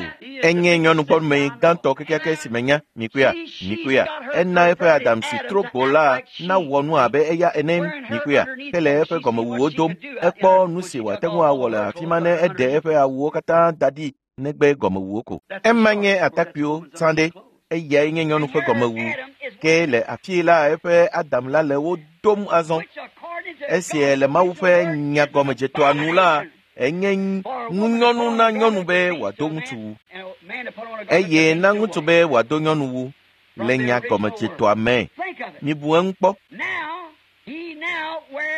Enye nyɔnugbɔme gãtɔ kekeake si menya, mikpɔea, mikpɔea. Ena eƒe Adam si tro gbo la nawɔ nu abe eya ene, mikpɔea, hele eƒe gɔmewuwo dom. Ekpɔ nu si wòate ŋu awɔ le afi ma ne eɖe eƒe awuwo katã da ɖi negbe gɔmewuwo ko. Ema nye atakpuiwo tsã ɖe. Eyae nye nyɔnu ƒe gɔmewu. Ke le afii la eƒe Adam la le wo dom azɔ. Esi le Mawu ƒe nyagɔmedzetoa nu la, enye ŋunyɔnu na nyɔnu be wòado ŋutsuwu eye na ŋutsu be wòado nyɔnuwu le nyagɔmedzetoa me. Mibu eŋu kpɔ.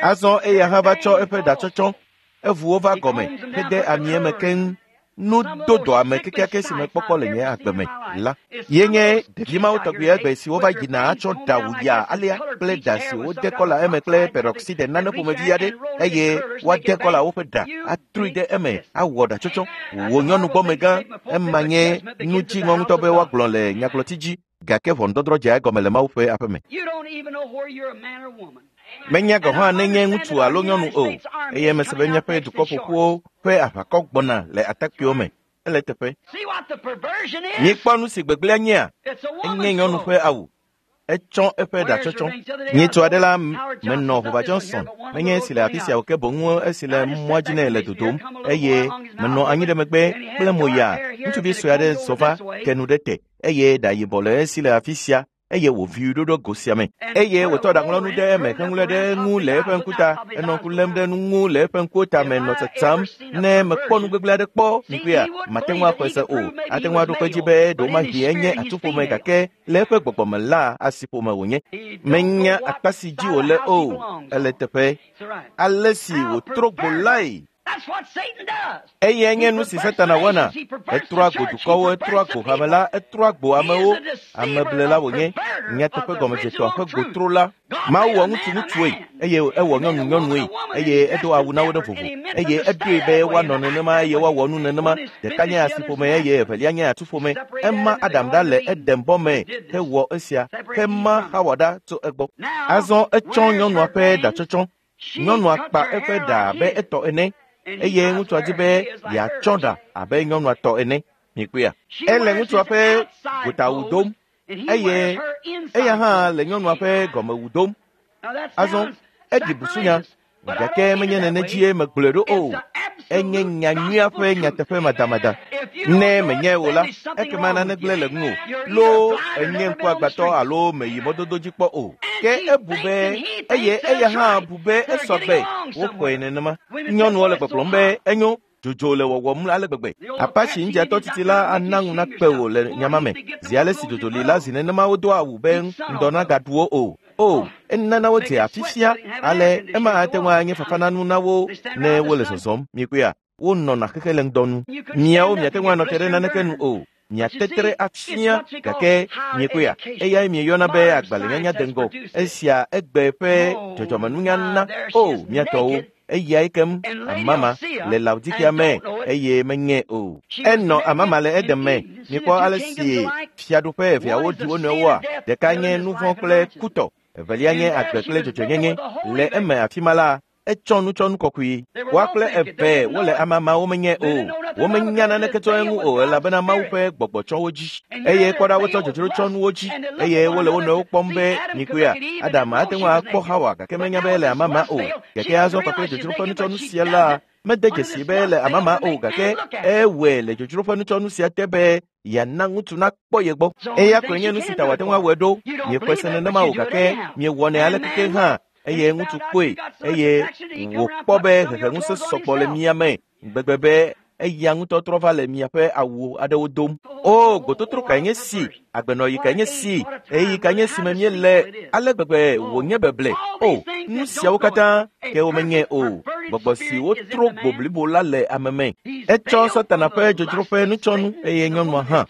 Azɔ eya hã va tsɔ eƒe ɖatsɔtsɔ, evu wo va gɔme hede ami eme keŋ. Nu do dɔame kekeake si mekpɔkpɔ le nye agbe me la ye nye ɖevi mawo tɔgbi egbe si wova yina atsɔ ɖa wuya alea kple ɖa si wode kɔla eme kple peroxide nane ƒomevi aɖe eye woade kɔla woƒe ɖa atrui ɖe eme awɔ ɖatsɔtsɔ. Wò nyɔnu gbɔmegã, ema nye nu dziŋɔ ŋutɔ be woagblɔ le nyagblɔti dzi gake ʋɔnudɔdrɔ̃ dzea egɔme le Mawu ƒe aƒeme. Menya gɔ̃ hã nenye ŋutsu alo nyɔnu o, eye mese be míaƒe dukɔ ƒoƒuwo ƒe aʋakɔ gbɔna le atakpuiwo me. Ele teƒe. Míekpɔ nu si gbegblẽa nyea? Enye nyɔnu ƒe awu. Etsɔ eƒe ɖatsɔtsɔ. Nyitsu aɖe la menɔ Hova Johnson, menye esi le afi sia o ke boŋ esi le mɔa dzi nɛ le dodom eye menɔ anyi ɖe megbe kple moya. Ŋutsuvi sue aɖe zɔ va ke nu ɖe te eye ɖa yibɔ le esi le afi sia eye wòvi ɖo ɖe go sia me eye wòtɔ ɖaŋlɔnu ɖe eme heŋlɔe ɖe eŋu le eƒe ŋkuta. Enɔ ŋku lém ɖe nu ŋu le eƒe ŋkuwo ta me nɔ tsatsam. Ne mekpɔ nu gbegblẽ aɖe kpɔ, mikpɔea, mate ŋu axɔe se o. Ate ŋu aɖo kpe edzi be ɖewomahi enye atuƒome gake le eƒe gbɔgbɔme la asiƒome wònye. Menya akpa si dzi wòle o. Ele teƒe. Ale si wòtrɔ gbo lae. Eyae nye nu si Satana wɔna. Etrɔa go dukɔwo, etrɔa go hame la, etrɔa go amewo. Ameblela wònye. Nyateƒe gɔmedzetɔa ƒe gotro la. Mawu wɔ ŋutsu ŋutsue eye ewɔ nyɔnu nyɔnue eye edo awu na wo ɖe vovo eye eɖoe be woanɔ nenema eye woawɔ nu nenema. Ɖeka nye asiƒome eye evelia nye atuƒome. Ema Adam ɖa le Eden bɔ me hewɔ esia hema Xawa ɖa tso egbɔ. Azɔ etsɔ nyɔnua ƒe ɖatsɔtsɔ. Nyɔnua kpa eƒe ɖa abe etɔ ene eye ŋutsua di be yeatsɔ ɖa abe nyɔnua tɔ ene. Mikpɔea? Ele ŋutsua ƒe gotawu dom eye eya hã le nyɔnua ƒe gɔmewu dom. Azɔ eɖi busunya gake menye nene dzie megblɔe ɖo o. Enye nyanyuia ƒe nyateƒe madamada. Ne menyae o la, ekema nane gblẽ le ŋuwò. Loo enye ŋkuagbãtɔ alo meyi mɔdodo dzi kpɔ o. Ke ebu be eye eya hã bu be esɔ gbe woxɔe nenema. Nyɔnuwo le gbɔgblɔm be enyo dzodzo le wɔwɔm ale gbegbe. Apache ŋdzatɔ titi la ana ŋu nakpe wò le nyama me. Zi ale si dzodzo li la zi nenema wodoa awu be ŋdɔ nagaɖu wo o. O, enana wodze afi sia ale ema ate ŋu anye fafananu na wo ne wole zɔzɔm. Mikpɔea, wonɔna xexe le ŋdɔ nu. Miawo miate ŋu anɔ te ɖe naneke nu o. Miatetre afia gake miekpɔea, eyae mieyɔna be agbalẽnyanya de ŋgɔ. Esia egbe ƒe dzɔdzɔmenunya na. O, miatɔwo, eyae kem amama le Laodikea me eye menye o. Enɔ amama le Eden me. Mikpɔ ale si fiaɖuƒe eveawo ɖi wo nɔewoa. Ɖeka nye nu vɔ̃ kple kutɔ, evelia nye agbe kple dzɔdzɔenyenye. Le eme afi ma la, Etsɔ nutsɔnu kɔkɔe. Woa kple eve wole amama womenye o. Womenya naneke tso eŋu o elabena Mawu ƒe gbɔgbɔ tsɔ wo dzi. Eye kpɔ ɖa wotsɔ dzodzro tsɔ nuwo dzi eye wole wo nɔewo kpɔm be nyikpea. Adam ate ŋu akpɔ Hawa gake menya be ele amama o. Gake azɔ kpakple dzodzro ƒe nutsɔnu sia la mede dzesi be ele amama o gake ewɔe le dzodzro ƒe nutsɔnu sia te be yeana ŋutsu nakpɔ ye gbɔ. Eya koe nye nu si ta wòate ŋu awɔe ɖo. Miexɔe se nenema o gake miewɔnɛ alekeke hã eye ŋutsu kpɔe eye wòkpɔ be heheŋusẽ sɔgbɔ le mia me gbegbe be eya ŋutɔ trɔ va le miaƒe awu aɖewo dom. O, gbototro kae nye si, agbenɔɣi kae nye si, ɣeyiɣi kae nye si me míele, ale gbegbe wònye beble. O, nu siawo katã ke womenye o. Gbɔgbɔ si wotro gbo blibo la le ame me. Etsɔ Satana ƒe dzodzro ƒe nutsɔnu eye nyɔnua hã.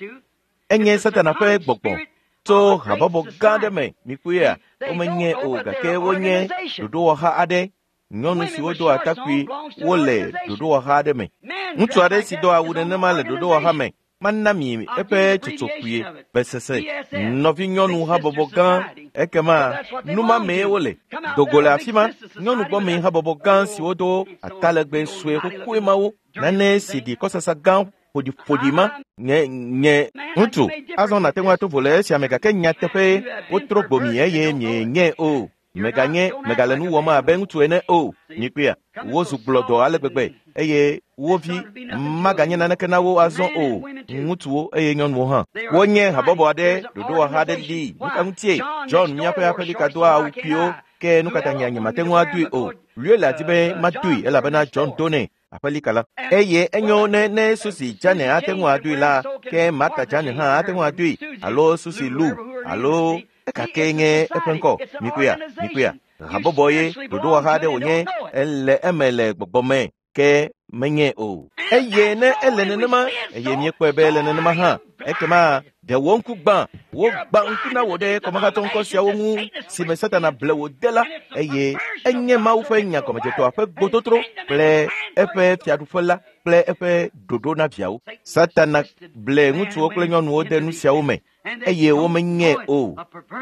Enye Satana ƒe gbɔgbɔ tso habɔbɔ gã aɖe me. Mikpɔea, womenye o gake wonye ɖoɖowɔha aɖe. Nyɔnu siwo do atakpui wole ɖoɖowɔha aɖe me. Ŋutsu aɖe si do awu nenema le ɖoɖowɔha me mana mi eƒe tsotso kpuie besese. Nɔvinyɔnu habɔbɔ gã ekema numa mee wole. Dogo le afi ma, nyɔnu gbɔme habɔbɔ gã siwo do atalegbe sue xoxoe mawo nane si ɖi kɔsasa gã ƒoɖiƒoɖi ma nye nye ŋutsu. Azɔ nàte ŋu ato vo le esia me gake nyateƒe wotro gbo mi eye mienye o. Meganye megale nu wɔm abe ŋutsu ene o. Nyikpea, wozu gblɔdɔ ale gbegbe eye wo vi maganye naneke na wo azɔ o. Ŋutsuwo eye nyɔnuwo hã. Wonye habɔbɔ aɖe, ɖoɖowɔha aɖe li. Nu ka ŋutie? John míaƒe aƒelika doa awu kpuiwo ke nu ka ta nye nyemate ŋu adoe o. Luella di be madoe elabena John do nɛ aƒelika la. Eye enyo ne ne Susi Jane ate ŋu adoe la ke Martha Jane hã ate ŋu adoe alo Susi Lu alo ekake nye eƒe ŋkɔ. Mikpɔea, mikpɔea. Habɔbɔ ye ɖoɖowɔha aɖe wònye ele eme le gbɔgbɔ me ke menye o. Eye ne ele nenema eye míekpɔe be ele nenema hã ekema ɖe wò ŋku gbã wogbã ŋku na wò ɖe kɔmahatɔ ŋkɔ siawo ŋu si me Satana ble wò de la eye enye Mawu ƒe nya gɔmedzetɔa ƒe gbototro kple eƒe fiaɖuƒe la kple eƒe ɖoɖo na viawo. Satana ble ŋutsuwo kple nyɔnuwo de nu siawo me eye womenye o,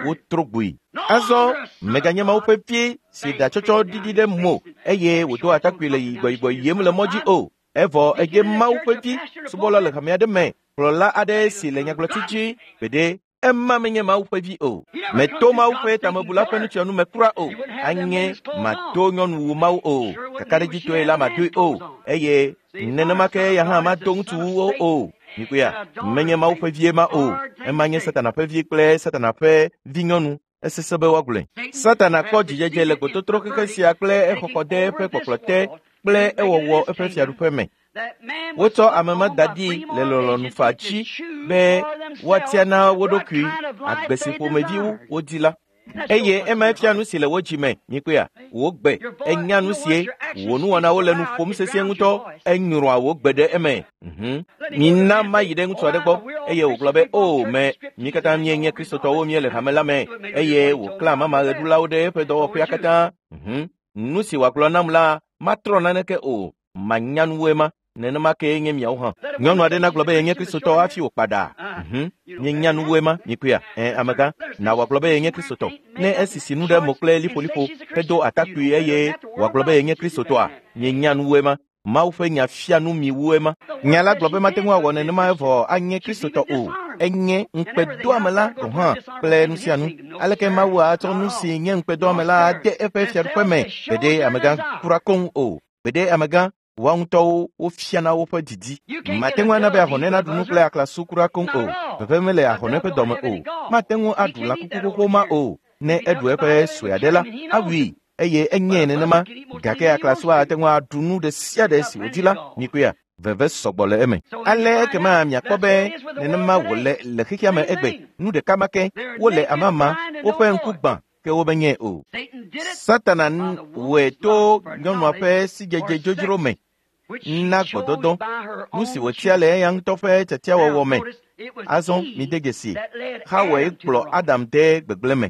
wotro gboe. Azɔ meganye Mawu ƒe vi si ɖatsɔtsɔ ɖiɖi ɖe mo eye wòdo atakpui le yigbɔyigbɔ yiem le mɔ dzi o. Evɔ edze Mawu ƒe vi subɔla le hame aɖe me, kplɔla aɖe si le nyagblɔti dzi gbeɖe ema menye Mawu ƒe vi o. Meto Mawu ƒe tamebula ƒe nutsiɔnu me kura o. Anye mato nyɔnuwu Mawu o. Kakaɖedzitɔe la madoe o. Eye nenema ke ya hã mado ŋutsuwuwo o. Mikpɔea, menye Mawu ƒe vie ma o. Ema nye Satana ƒe vi kple Satana ƒe vinyɔnu. Esesẽ be woagblɔe. Satana kpɔ dzidzedze le gbototro xexe sia kple exɔxɔ de eƒe kpɔkplɔ te kple ewɔwɔ eƒe fiaɖuƒe me. Wotsɔ ame ma da ɖi le lɔlɔ̃nu faa dzi be woatia na wo ɖokui agbe si ƒomevi wodi la. Eye ema fia nu si le wo dzi me. Mikpɔea, wò gbe enya nu sie wò nuwɔnawo le nu ƒom sesĩe ŋutɔ enyrɔa wò gbe ɖe eme. Mhm. Mina mayi ɖe ŋutsu aɖe gbɔ eye wògblɔ be o me mi katã míenye kristotɔwo míele hame la me eye wòklã amama ɣeɖulawo ɖe eƒe dɔwɔƒea katã. Mhm. Nu si wòagblɔ nam la matrɔ naneke o. Manya nuwoe ma. Nenema kee nye miawo hã. Nyɔnu aɖe nagblɔ be yenye kristotɔ hafi wòkpa ɖa. Mhm. Mienya nuwoe ma, mikpɔea? Ẽ, amegã, na wòagblɔ be yenye kristotɔ. Ne esisi nu ɖe mo kple liƒoliƒo hedo atakpui eye wòagblɔ be yenye kristotɔa, mienya nuwoe ma. Mawu ƒe nya fia nu mi woe ma. Nya la gblɔ be mate ŋu awɔ nenema evɔ anye kristotɔ o. Enye ŋukpedoame la gɔ̃ hã kple nu sia nu. Aleke Mawu atsɔ nu si nye ŋukpedoame la de eƒe fiaɖuƒe me? Gbeɖe amegã kura koŋ o. Gbeɖe amegã woa ŋutɔwo wofiana woƒe didi. Mate ŋu ana be ahɔnɛ naɖu nu kple aklasu kura koŋ o. Veve mele ahɔnɛ ƒe dɔme o. Mate ŋu aɖu lãkuku xoxo ma o. Ne eɖu eƒe sue aɖe la, awui eye enye nenema. Gake aklasua ate ŋu aɖu nu ɖe sia ɖe si wòdi la. Mikpɔea, veve sɔgbɔ le eme. Ale ekema miakpɔ be nenema wòle le xexea me egbe. Nu ɖeka ma ke wole amama, woƒe ŋku gbã ke womenye o. Satana wɔe to nyɔnua ƒe sidzedze dzodzro me na gbɔdɔdɔ, nu si wòtia le eya ŋutɔ ƒe tiatiawɔwɔ me. Azɔ mide dzesi, Xawae kplɔ Adam de gbegblẽ me.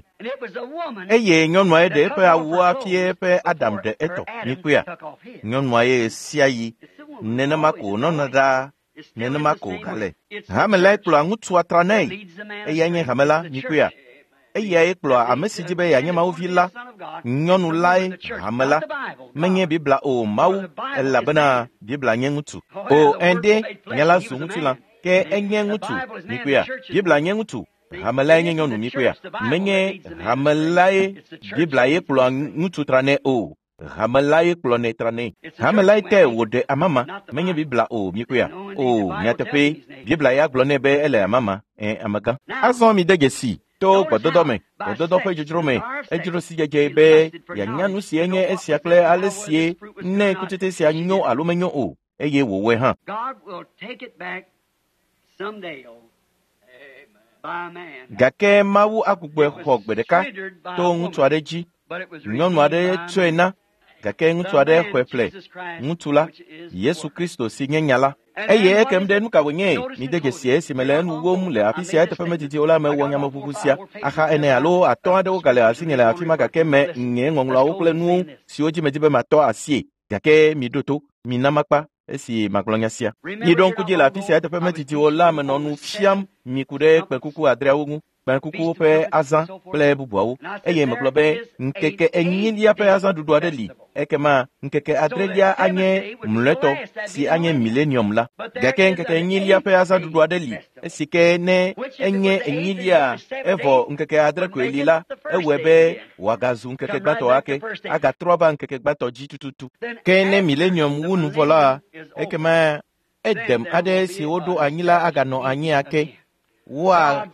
Eye nyɔnuae ɖe eƒe awuwo hafi eƒe Adam ɖe etɔ. Mikpɔea, nyɔnua ye ɣe sia ɣi. Nenema ko wònɔna ɖaa. Nenema ko wògale. Hame lae kplɔa ŋutsua tranɛ. Eyae nye hame la, mikpɔea. Eyae kplɔa ame si di be yeanye Mawu vi la, nyɔnu lae hame la. Menye Biblia o, Mawu, elabena Biblia nye ŋutsu. O ende, nya la zu ŋutilã, ke enye ŋutsu, mikpɔea. Biblia nye ŋutsu, hame lae nye nyɔnu, mikpɔea. Menye hame lae Biblia ye kplɔa ŋutsu tranɛ o. Hame lae kplɔnɛ tranɛ. Hame lae te wòɖe amama, menye Biblia o, mikpɔea. O, nyateƒe, Biblia ya gblɔ nɛ be ele amama, ẽ, amegã. Azɔ mi de dzesi to gbɔdɔdɔ me, gbɔdɔdɔ ƒe dzodzro me, edzro si dzedze be yeanya nu si enye esia kple ale sie ne kutsetse sia nyo alo menyo o, eye wòwɔe hã. Gake Mawu agbugbɔe xɔ gbe ɖeka to ŋutsu aɖe dzi. Nyɔnu aɖe tsɔe na, gake ŋutsu aɖe xɔe ƒle. Ŋutsu la, Yesu Kristo si nye nya la. Eye ekem ɖe nu ka wònye? Mide dzesi esime le enu wom le afi sia eteƒe medidi o la mewɔ nyameʋuʋu sia. Axa ene alo atɔ̃ aɖewo gale asinye le afi ma gake me nye ŋɔŋlɔawo kple nuwo siwo dzi medi be matɔ asie. Gake miɖo to, mina makpa esi magblɔ nya sia. Miɖo ŋku dzi le afi sia eteƒe medidi o la menɔ nu fiam mi ku ɖe kpẽkuku adreawo ŋu, kpẽkukuwo ƒe azã kple bubuawo. Eye megblɔ be ŋkeke enyilia ƒe azãɖuɖu aɖe li, ekema ŋkeke adrelia anye mlɔetɔ si anye milenium la. Gake ŋkeke enyilia ƒe azãɖuɖu aɖe li, esi ke ne enye enyilia evɔ ŋkeke adre koe li la, ewɔe be wòagazu ŋkeke gbãtɔ ake, agatrɔ ava ŋkeke gbãtɔ dzi tututu. Ke ne milenium wu nu vɔ la, ekema edem aɖe si woɖo anyi la aganɔ anyi ake. Woa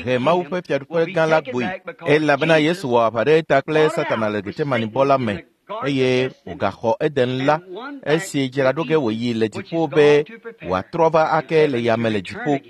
he Mawu ƒe fiaɖuƒe gã la gbɔe, elabena Yesu wɔ aʋa ɖe eta kple Satana le Getsemanibɔ la me, eye wògaxɔ Eden la esi dzraɖo ge wòyi le dziƒo be wòatrɔ va ake le yame le dziƒo.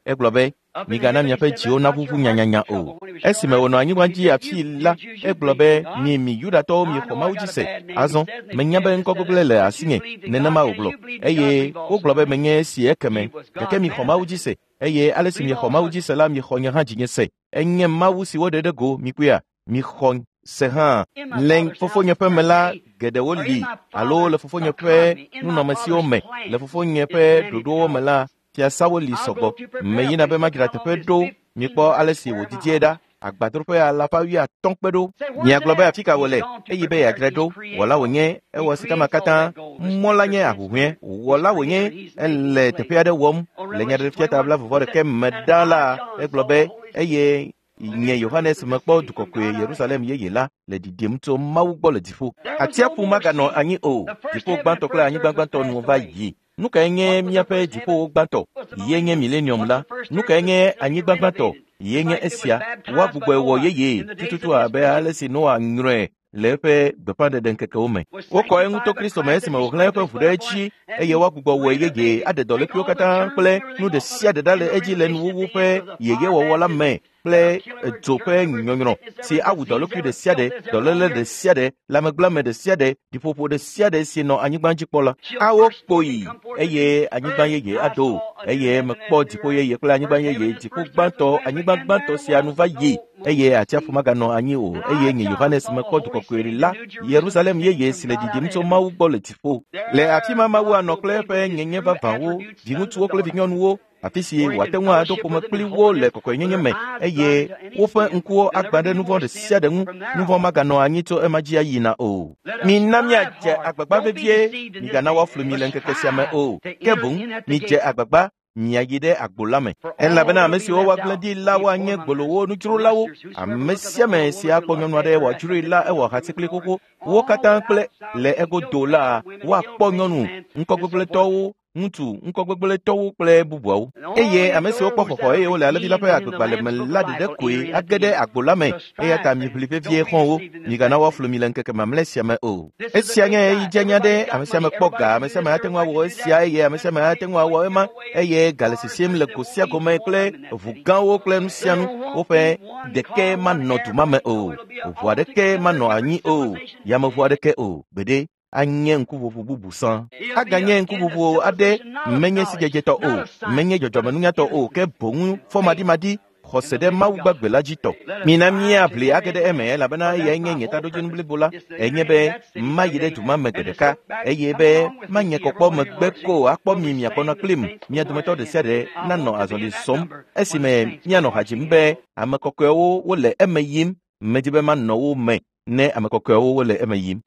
Egblɔ be, migana miaƒe dziwo naʋuʋu nyanyanya o. Esime wònɔ anyigba dzi afii la, egblɔ be, mi mi Yudatɔwo miexɔ Mawu dzi se. Azɔ, menya be ŋkɔ gbegblẽ le asinye, nenema wògblɔ. Eye wogblɔ be menye esi ekeme, gake mixɔ Mawu dzi se. Eye ale si miexɔ Mawu dzi se la, miexɔ nye hã dzinye se. Enye Mawu si woɖe ɖe go, mikpɔea, mixɔ se hã. Le fofonye ƒe me la, geɖewo li, alo le fofonye ƒe nunɔamesiwo me, le fofonye ƒe ɖoɖowo me la, fiasawo li sɔgbɔ. Meyina be madzra teƒe ɖo, mikpɔ ale si wòdidie ɖa. Agbadroƒe alafa wuiatɔ̃ kpe ɖo. Miagblɔ be afi ka wòle, eye be yeadzrae ɖo. Wɔla wònye, ewɔ sikama katã. Mɔ la nye ahuhɔ̃e. Wɔla wònye, ele teƒe aɖe wɔm. Le Nyaɖeɖefia ta blaeve vɔ ɖeke me ɖa la, egblɔ be, eye nye Yohanes mekpɔ du kɔkɔe Yerusalem yeye la le ɖiɖim tso Mawu gbɔ le dziƒo. Atsiaƒu maganɔ anyi o. Dziƒo gbãtɔ kple anyigba gbãtɔ nu va yi. Nu kae nye míaƒe dziƒowo gbãtɔ? Ye nye milenium la. Nu kae nye anyigba gbãtɔ? Ye nye esia. Woagbugbɔe wɔ yeye tututu abe ale si Noa nyrɔe le eƒe gbeƒãɖeɖe ŋkekewo me. Wokɔ eŋu to Kristo me esime wòxlẽ eƒe ʋu ɖe edzi eye woagbugbɔ wɔe yeye aɖe dɔlékuiwo katã kple nu ɖe sia ɖe ɖa le edzi le nuwuwu ƒe yeyewɔwɔ la me kple dzo ƒe nyɔnyrɔ si awu dɔlékui ɖe sia ɖe, dɔléle ɖe sia ɖe, lãmegblẽame ɖe sia ɖe, ɖiƒoƒo ɖe sia ɖe si nɔ anyigba dzi kpɔ la. Awo kpoyi eye anyigba yeye ado, eye mekpɔ dziƒo yeye kple anyigba yeye, dziƒo gbãtɔ, anyigba gbãtɔ sia nu va yi, eye atsiaƒu maganɔ anyi o. Eye nye Yohanes mekpɔ du kɔkɔe la, Yerusalem yeye si le ɖiɖim tso Mawu gbɔ le dziƒo. Le afi ma Mawu anɔ kple eƒe nyenye vavãwo, viŋutsuwo kple vinyɔnuwo, afi si wòate ŋu ado ƒome kpli wo le kɔkɔenyenye me, eye woƒe ŋkuwo agbã ɖe nu vɔ̃ ɖe sia ɖe ŋu. Nu vɔ̃ maganɔ anyi tso ema dzi ayina o. Mina míadze agbagba vevie, migana woaflu mi le ŋkeke sia me o. Ke boŋ midze agbagba miayi ɖe agbo la me, elabena ame siwo woagblẽ ɖi la woanye gbolowo, nudzrolawo. Ame sia ame si akpɔ nyɔnu aɖe wòadzroe la, ewɔ hati kpli xoxo. Wo katã kple le egodo la, woakpɔ nyɔnu ŋkɔgbegblẽtɔwo, ŋutsu ŋkɔgbegblẽtɔwo kple bubuawo. Eye ame siwo kpɔ xɔxɔ eye wole alẽvi la ƒe agbegbalẽ me la ɖeɖe koe age ɖe agbo la me. Eya ta miʋli vevie xɔ̃wo, migana woaflu mi le ŋkeke mamlɛ sia me o. Esia nye ɣeyiɣi dzenya ɖe ame sia ame kpɔ ga, ame sia ame ate ŋu awɔ esia eye ame sia ame ate ŋu awɔ ema, eye ga le sisim le go sia go me kple ʋu gãwo kple nu sia nu. Woƒe ɖeke manɔ du ma me o, ʋu aɖeke manɔ anyi o, yameʋu aɖeke o. Gbeɖe anye ŋkuʋuʋu bubu sã. Aganye ŋkuʋuʋu aɖe menye sidzedzetɔ o, menye dzɔdzɔmenunyatɔ o, ke boŋ fɔmaɖimaɖi, Xɔse ɖe Mawu gbagbe la dzi tɔ. Mina míaʋli age ɖe eme elabena eyae nye nye taɖodzinu blibo la. Enye be mayi ɖe du ma me gbe ɖeka eye be manye kɔkpɔ megbe ko akpɔ mi miakpɔna kplim. Mia dometɔ ɖe sia ɖe nanɔ azɔli zɔm esime míanɔ ha dzim be ame kɔkɔewo wole eme yim. Medi be manɔ wo me ne ame kɔkɔewo wole eme yim.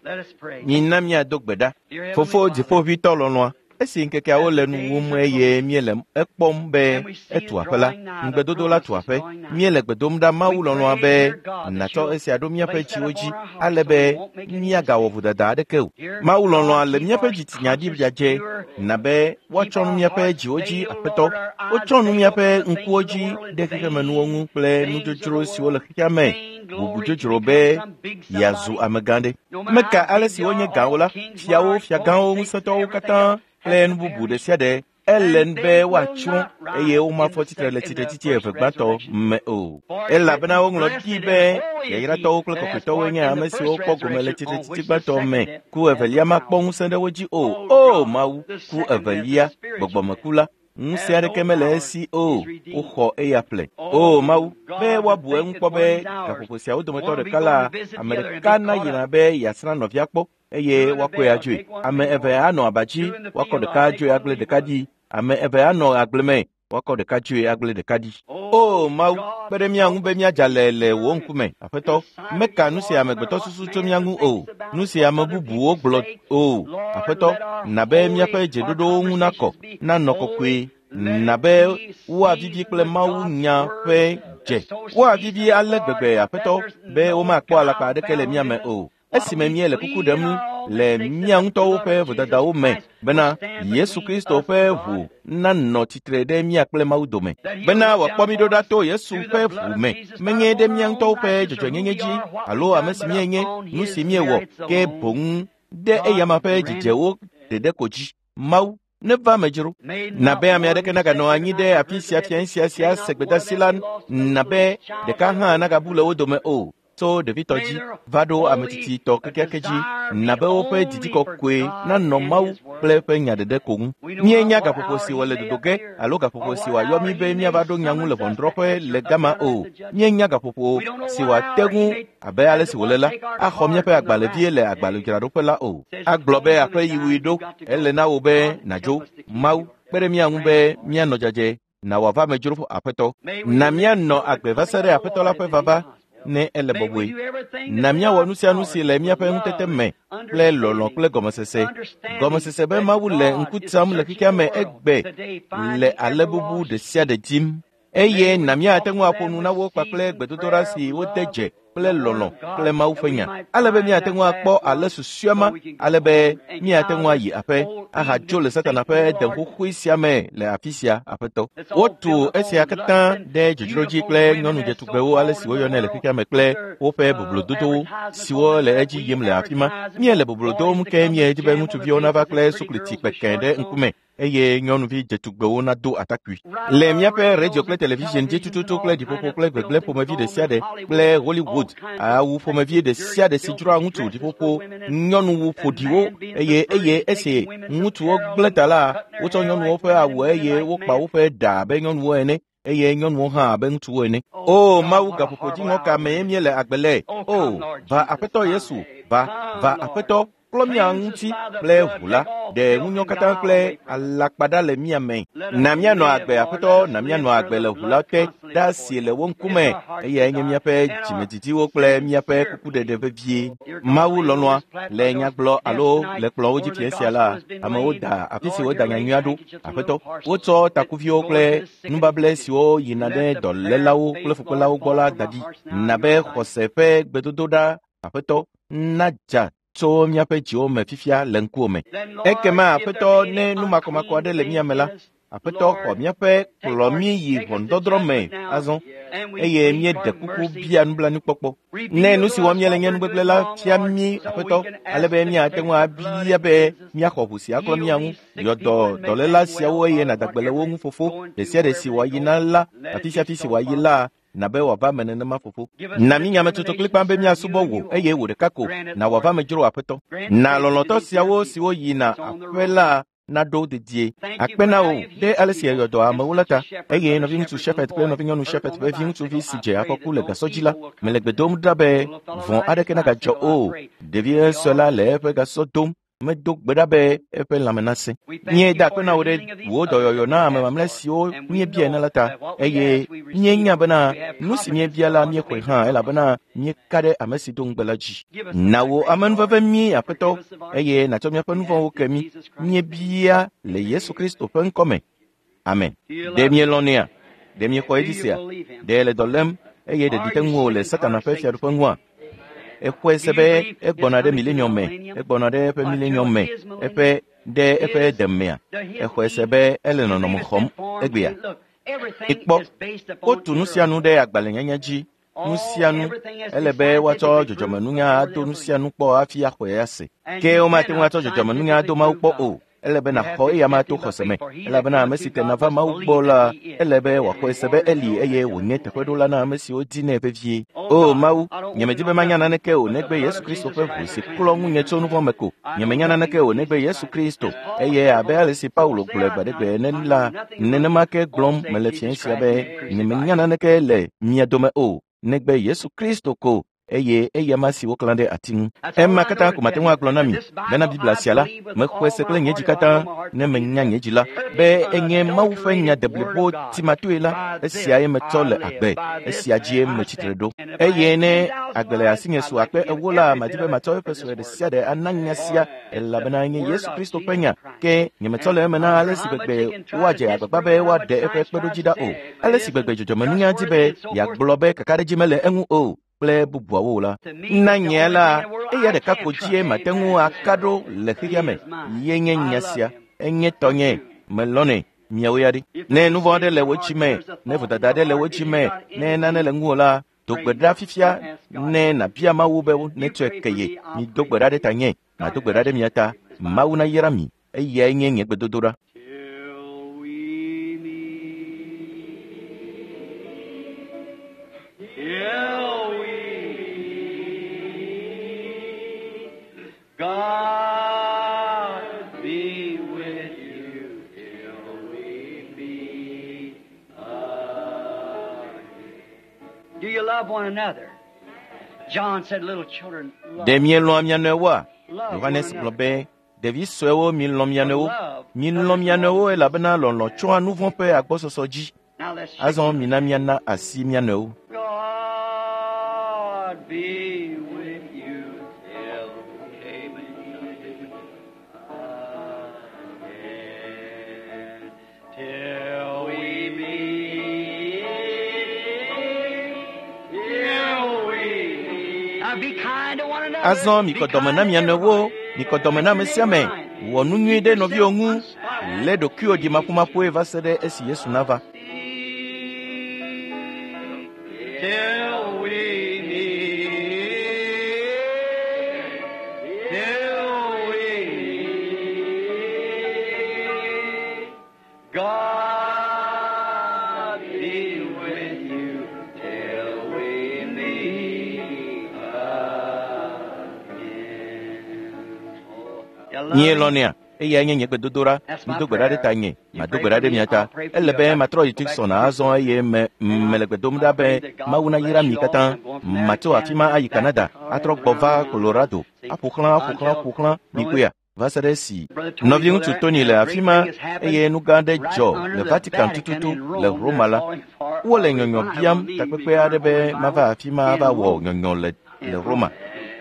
Mina míado gbe ɖa. Fofo dziƒoʋĩtɔ lɔlɔ̃a, esi ŋkekeawo le nu wum eye míele ekpɔm be etu aƒe la, ŋugbedodo la tu aƒe. Míele gbe dom ɖa Mawu lɔlɔ̃a be nàtsɔ esia ɖo míaƒe dziwo dzi ale be míagawɔ vodada aɖeke o. Mawu lɔlɔ̃a le míaƒe dzitsinya ɖi dzadzɛ na be woatsɔ nu míaƒe dziwo dzi aƒetɔ. Wotsɔ nu míaƒe ŋkuwo dzi ɖe xexemenuwo ŋu kple nudzodzro siwo le xexea me. Bubu dzodzro be yeazu amegã ɖe. Meka ale si wonye gãwo la, fiawo, fiagãwo, ŋusẽtɔwo katã kple nu bubu ɖe sia ɖe ele be woatsrɔ̃ eye womafɔ tsitre le tsitretsitsi eve gbãtɔ me o. Elabena woŋlɔ ɖi be yayratɔwo kple kɔkɔetɔwoe nye ame siwo kpɔ gome le tsitretsitsi gbãtɔ me. Ku evelia makpɔ ŋusẽ ɖe wo dzi o. O Mawu, ku evelia, gbɔgbɔmeku la, ŋusẽ aɖeke mele esi o. Woxɔ eya ƒle. O Mawu, be woabu eŋu kpɔ be gaƒoƒo siawo dometɔ ɖeka la, ame ɖeka nayina be yeasrã nɔvia kpɔ eye woakɔe adzoe. Ame eve anɔ aba dzi, woakɔ ɖeka adzoe agble ɖeka ɖi. Ame eve anɔ agble me, woakɔ ɖeka dzoe agble ɖeka ɖi. O Mawu, kpe ɖe mía ŋu be míadza le le wò ŋkume, Aƒetɔ. Meka nu si amegbetɔ susu tso mía ŋu o, nu si ame bubuwo gblɔ o. Aƒetɔ, na be míaƒe dzeɖoɖowo ŋu nakɔ, nanɔ kɔkɔe, na be woavivi kple Mawu nya ƒe dze. Woavivi ale gbegbe, Aƒetɔ, be womakpɔ alakpa aɖeke le mía me o. Esime míele kuku ɖem le mía ŋutɔwo ƒe vodadawo me bena Yesu Kristo ƒe ʋu nanɔ tsitre ɖe mía kple Mawu dome, bena wòakpɔ mí ɖo ɖa to Yesu ƒe ʋu me, menye ɖe mía ŋutɔwo ƒe dzɔdzɔenyenye dzi alo ame si míenye, nu si míewɔ, ke boŋ ɖe eyama ƒe dzidzewo ɖeɖe ko dzi. Mawu neva me dzro. Na be ame aɖeke naganɔ anyi ɖe afi sia fia sia sia se gbedeasi la, na be ɖeka hã nagabu le wo dome o. Tso ɖevitɔ dzi va ɖo ame tsitsitɔ kekeake dzi, na be woƒe didi kɔkɔe nanɔ Mawu kple eƒe nya ɖeɖe ko ŋu. Míenya gaƒoƒo si wòle dodo ge alo gaƒoƒo si wòayɔ mí be míava ɖo nya ŋu le ʋɔnudrɔ̃ƒe le gama o. Míenya gaƒoƒo si wòate ŋu abe ale si wòle la axɔ míaƒe agbalẽvie le agbalẽdzraɖoƒe la o. Agblɔ be aƒe yiwui ɖo, ele na wò be nàdzo. Mawu, kpe ɖe mía ŋu be míanɔ dzadzɛ, na wòava me dzro Aƒetɔ. Na míanɔ agbe va se ɖe Aƒetɔ la ƒe vava ne ele bɔbɔe. Na míawɔ nu sia nu si le míaƒe ŋutete me kple lɔlɔ̃ kple gɔmesese. Gɔmesese be Mawu le ŋku tsam le xexea me egbe le ale bubu ɖe sia ɖe dim. Eye na míate ŋu aƒo nu na wo kpakple gbedodoɖa si wode dze kple lɔlɔ̃ kple Mawu ƒe nya, ale be míate ŋu akpɔ ale susɔea ma, ale be míate ŋu ayi aƒe ahadzo le Satana ƒe dem xoxoe sia me le afi sia, Aƒetɔ. Wotu esia katã ɖe dzodzro dzi kple nyɔnu dzetugbewo ale si woyɔnɛ le xexea me kple woƒe boblododowo siwo le edzi yim le afi ma. Míele boblo dom ke míedi be ŋutsuviwo nava kple sukliti kpekẽ ɖe ŋkume eye nyɔnuvi dzetugbewo nado atakpui. Le míaƒe radio kple television dzi tututu kple ɖiƒoƒo kple gbegblẽ ƒomevi ɖe sia ɖe kple Hollywood awu ƒomevi ɖe sia ɖe si dzroa ŋutsu ɖiƒoƒo nyɔnuwu ƒoɖiwo eye eye esi ŋutsuwo gblẽ ta la, wotsɔ nyɔnuwo ƒe awu eye wokpa woƒe ɖa abe nyɔnuwo ene eye nyɔnuwo hã abe ŋutsuwo ene. O Mawu, gaƒoƒo dziŋɔ ka mee míele agbe le? O, va Aƒetɔ Yesu, va, va Aƒetɔ, klɔ mía ŋuti kple ʋu la, ɖe ŋunyɔ katã kple alakpa ɖa le mía me. Na míanɔ agbe, Aƒetɔ, na míanɔ agbe le ʋu la te ɖa si le wo ŋkume, eyae nye míaƒe dzimedidiwo kple míaƒe kukuɖeɖe vevie. Mawu lɔlɔ̃a, le nyagblɔ alo le kplɔ̃wo dzi fia sia la, amewo da afi si woda nyanyuia ɖo. Aƒetɔ, wotsɔ takuviwo kple nubable siwo yina ɖe dɔlélawo kple fukpelawo gbɔ la da ɖi. Na be xɔse ƒe gbedodoɖa, Aƒetɔ, nadza tso míaƒe dziwo me fifia le ŋkuwò me. Ekema Aƒetɔ, ne nu makɔmakɔ aɖe le mía me la, Aƒetɔ xɔ míaƒe kplɔ mí yi ʋɔnudɔdrɔ̃ me azɔ eye míeɖe kuku bia nublanuikpɔkpɔ. Ne nu si wɔm míele nye nugbegblẽ la fia mí, Aƒetɔ, ale be míate ŋu abia be míaxɔ ʋu si aklɔ mía ŋu. Yɔ dɔ dɔléla siawo eye nàda gbe le wo ŋu, Fofo. Ɖe sia ɖe si wòayi na la, afi sia afi si wòayi la, na be wòava me nenema, Fofo. Na mí nyametsotso kplikpaa be míasubɔ wò eye wò ɖeka ko na wòava me dzro, Aƒetɔ. Na lɔlɔ̃tɔ siawo siwo yina aƒe la naɖo dedie. Akpe na wò ɖe ale si èyɔ dɔ amewo la ta, eye nɔviŋutsu Shepherd kple nɔvinyɔnu Shepherd ƒe viŋutsuvi si dze afɔku le gasɔ dzi la, mele gbe dom ɖa be vɔ̃ aɖeke nagadzɔ o. Ɖevi sue la le eƒe gasɔ dom. Medo gbe ɖa be eƒe lãme nasẽ. Míeda akpe na wò ɖe wò dɔyɔyɔ na ame mamlɛ siwo míebia ene la ta, eye míenya bena nu si míebia la míexɔe hã elabena míeka ɖe ame si do ŋugbe la dzi. Na wò amenuveve mí Aƒetɔ, eye nàtsɔ míaƒe nu vɔ̃wo ke mí. Míebia le Yesu Kristo ƒe ŋkɔ me. Amen. Ɖe mielɔ̃nɛa? Ɖe miexɔ edzi sea? Ɖe le dɔ lém eye ɖeɖi te ŋuwò le Satana ƒe fiaɖuƒe ŋua? Exɔe se be egbɔna ɖe milenium me, egbɔna ɖe eƒe milenium me, eƒe ɖe eƒe demea. Exɔe se be ele nɔnɔme xɔm egbea. Ikpɔ, wotu nu sia nu ɖe agbalẽnyanya dzi. Nu sia nu ele be woatsɔ dzɔdzɔmenunya ado nu sia nu kpɔ hafi axɔe ase. Ke womate ŋu atsɔ dzɔdzɔmenunya ado Mawu kpɔ o. Ele be nàxɔ eya ma to xɔse me, elabena ame si tena va Mawu gbɔ la, ele be wòaxɔe se be eli eye wònye teƒeɖola na ame siwo dinɛ vevie. O Mawu, nyemedi be manya naneke o negbe Yesu Kristo ƒe ʋu si klɔ ŋunye tso nu vɔ̃ me ko. Nyemenya naneke o negbe Yesu Kristo, eye abe ale si Paulo gblɔe gbe aɖe gbe ene la, nenema ke gblɔm mele fiẽ sia be nyemenya naneke le mia dome o negbe Yesu Kristo ko. Eye eya ma si woklã ɖe ati ŋu. Ema katã ko mate ŋu agblɔ na mi bena Biblia sia la, mexɔe se kple nye dzi katã ne menya nye dzi la, be enye Mawu ƒe nya deblibo timatoe la, esiae metsɔ le agbe, esia dzie metsitre ɖo. Eye ne agbe le asinye su akpe ewo la, madi be matsɔ eƒe sue ɖe sia ɖe ana nya sia, elabena enye Yesu Kristo ƒe nya. Ke nyemetsɔ le eme na ale si gbegbe woadze agbagba be woaɖe eƒe kpeɖodzi ɖa o, ale si gbegbe dzɔdzɔmenunya di be yeagblɔ be kakaɖedzi mele eŋu o kple bubuawo la. Na nye la, eya ɖeka ko dzie mate ŋu aka ɖo le xexea me. Ye nye nya sia, enye tɔnye, melɔ̃nɛ, miawo ya ɖi. Ne nu vɔ̃ aɖe le wò dzi me, ne vodada aɖe le wò dzi me, ne nane le ŋuwò la, do gbe ɖa fifia ne nàbia Mawu be netsɔe ke ye. Mido gbe ɖa ɖe tanye, mado gbe ɖa ɖe mia ta. Mawu nayra mi, eyae nye nye gbedodoɖa. God be with you till we meet again. Do you love one another? John said, little children, love. Ɖe mielɔ̃a mia nɔewoa? Love Yohanes one gblɔ another. be, ɖevi suewo milɔ̃ mia nɔewo. Milɔ̃ mia nɔewo elabena lɔlɔ̃ tsɔa nu vɔ̃ ƒe agbɔsɔsɔ dzi. Now let's shake. Azɔ mina miana asi mia nɔewo. God be with you till we meet again. Till we meet, till we meet. Now be kind to one another. Azɔ Be mikɔ dɔme kind na to mia nɔewo, everybody. mikɔ dɔme na ame sia ame. Wɔ nu nyui ɖe nɔviwò ŋu. Lé ɖokuiwò ɖi maƒomaƒoe va se ɖe esi Yesu nava. Till we meet, till we meet, God be with you till we meet again. You love me? Mielɔ̃nɛa? Eyae nye nye gbedodoɖa. Mido gbe ɖa ɖe tanye, mado gbe ɖa ɖe mia ta. Ele be matrɔ yi Tucson azɔ eye me mele gbe dom ɖa be Mawu nayra mi katã. Matso afi ma ayi Canada, atrɔ gbɔ va Colorado, aƒo xlã, aƒo xlã, aƒo xlã mikpɔea va se ɖe esi nɔviŋutsu Tony le afi ma eye nu gã aɖe dzɔ le Vatican tututu le Roma la. Wole nyɔnyɔ biam takpekpe aɖe be mava afi ma ava wɔ nyɔnyɔ le le Roma.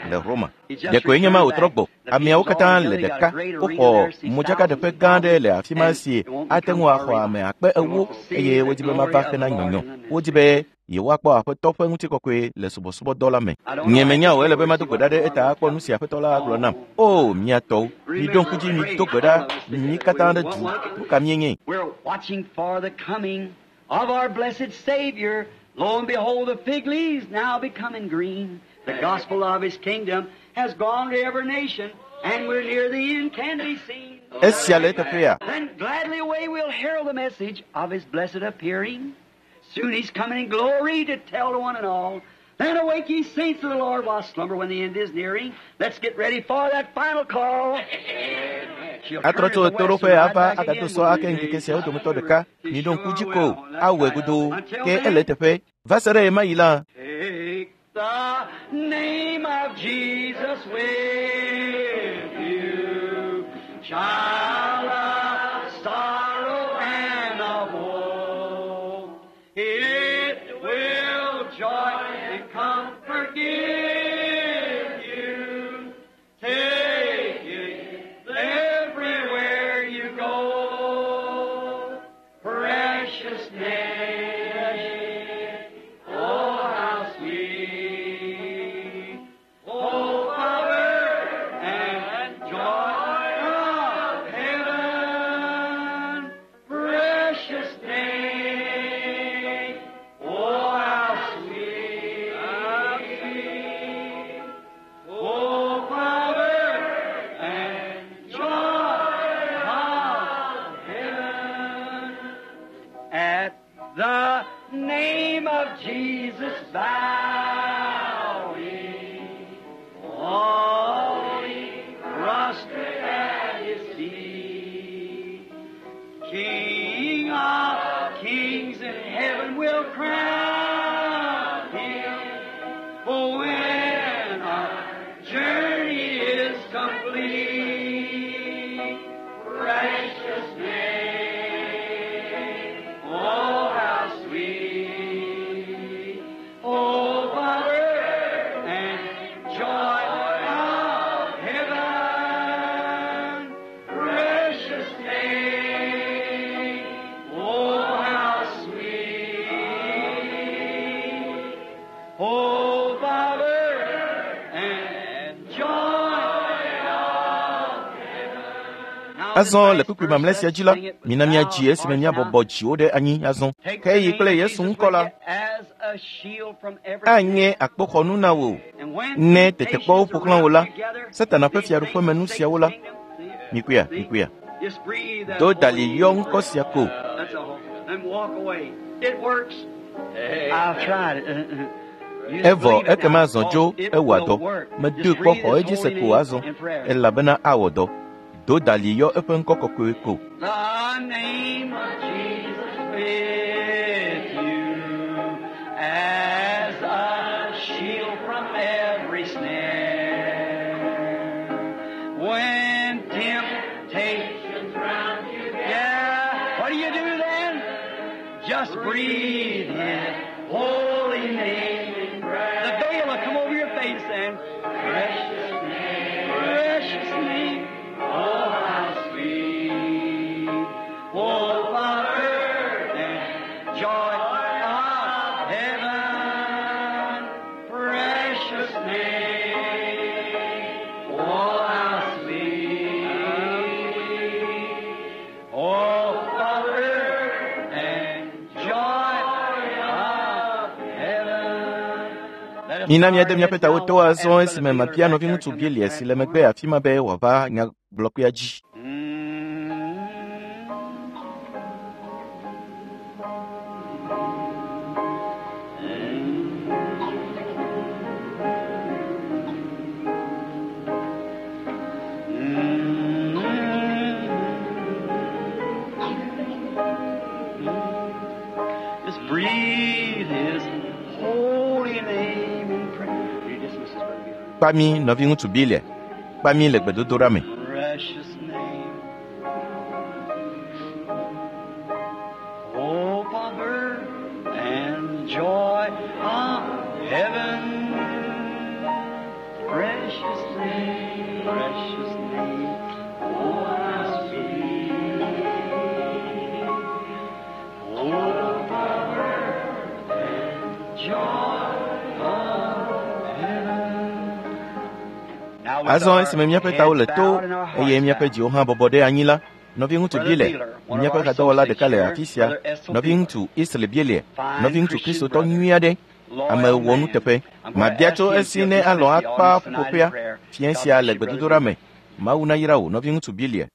Le Roma. Ɖekoe nye ma wòtrɔ gbɔ. Ameawo katã le ɖeka. Woxɔ modzakaɖeƒe gã aɖe le afi ma si ate ŋu axɔ ame akpe ewo eye wodi be mava hena nyɔnyɔ. Wodi be yewoakpɔ Aƒetɔ ƒe ŋutikɔkɔe le subɔsubɔdɔ la me. Nye menya o, ele be mado gbe ɖa ɖe eta akpɔ nu si Aƒetɔ la agblɔ nam. O, mia tɔwo, miɖo ŋku dzi mido gbe ɖa mi katã ɖe du. Nu ka míenye? We're watching for the coming of our blessed Savior. Lo and behold, the fig leaves now becoming green. The gospel of His kingdom has gone to every nation, and we're near the end can be seen. Esia le eteƒea? Then gladly away we'll herald the message of His blessed appearing. Soon He's coming in glory to tell to one and all. Then awake ye saints of the Lord while slumber when the end is nearing. Let's get ready for that final call. Atrɔ tso ɣetoɖoƒe ava agado sɔ ake ŋkeke siawo dometɔ ɖeka. Miɖo ŋku dzi ko awɔe godoo ke ele eteƒe. Va se ɖe ɣemaɣi la, Take the name of Jesus with you, child of sorrow and of woe. It will joy and comfort give you. Take it everywhere you go. Precious name, oh how sweet. Oh, power and joy of heaven, precious name, oh how sweet, how sweet. Oh, power and joy of heaven. At the name of Jesus, bow we, all ye prostrate at his feet. King of kings in heaven will crown him. Oh, when our journey is complete, precious name, oh how sweet, oh power and joy of heaven, precious name, oh how sweet. Oh, Father, and joy of heaven. Azɔ le kpukpui mamlɛ sia dzi la, mina míadzi esime míabɔbɔ dziwo ɖe anyi azɔ. Ke yi kple Yesu ŋkɔ la, anye akpoxɔnu na wò. Ne tetekpɔwo ƒo xlã wò la, Satana ƒe fiaɖuƒe me nu siawo la, mikuya, mikuya. Do dali yɔ ŋkɔ sia ko. That's all. And walk away. It works. I've tried it. You just Evɔ believe it ekema now. zɔ dzo It ewɔa will dɔ. work. Medoe Just kpɔ breathe xɔ His edzi se holy ko name azɔ in prayer. elabena awɔ dɔ. Do dali yɔ eƒe ŋkɔ kɔkɔe ko. The name of Jesus with you as a shield from every snare. When temptations round you gather, what do you do then? Just breathe His holy name in prayer. The veil will come over your face and precious name, precious name. Oh, how sweet. Oh, Father, and joy of heaven, precious name. Oh, how sweet. Oh, Father, and joy of heaven. Let us Mina bow míade our míaƒe heads tawo now to as azɔ Brother esime Beeler mabia back there nɔviŋutsu comes Bielia back si le forward. megbe afi ma be wòava nyagblɔkpea dzi. Just breathe His holy name in prayer. You dismiss this, Brother Beeler. Kpa mí nɔviŋutsu Bielia, kpa mí le gbedodoɖa me. Precious name. Hope of earth and joy of heaven. Precious name, precious name. Oh, how sweet. Hope of earth and joy of heaven. Azɔ esime míaƒe tawo le to eye míaƒe dziwo hã bɔbɔ ɖe anyi la, nɔviŋutsu Bielia, míaƒe hadɔwɔla ɖeka le afi sia, nɔviŋutsu Isle Bielia, nɔviŋutsu Kristotɔ nyui aɖe, ame wɔnuteƒe. Mabia tso esi ne alɔ̃ akpa ƒuƒoƒea fiẽ sia le gbedodoɖa me. Mawu nayra wò, nɔviŋutsu Bielia.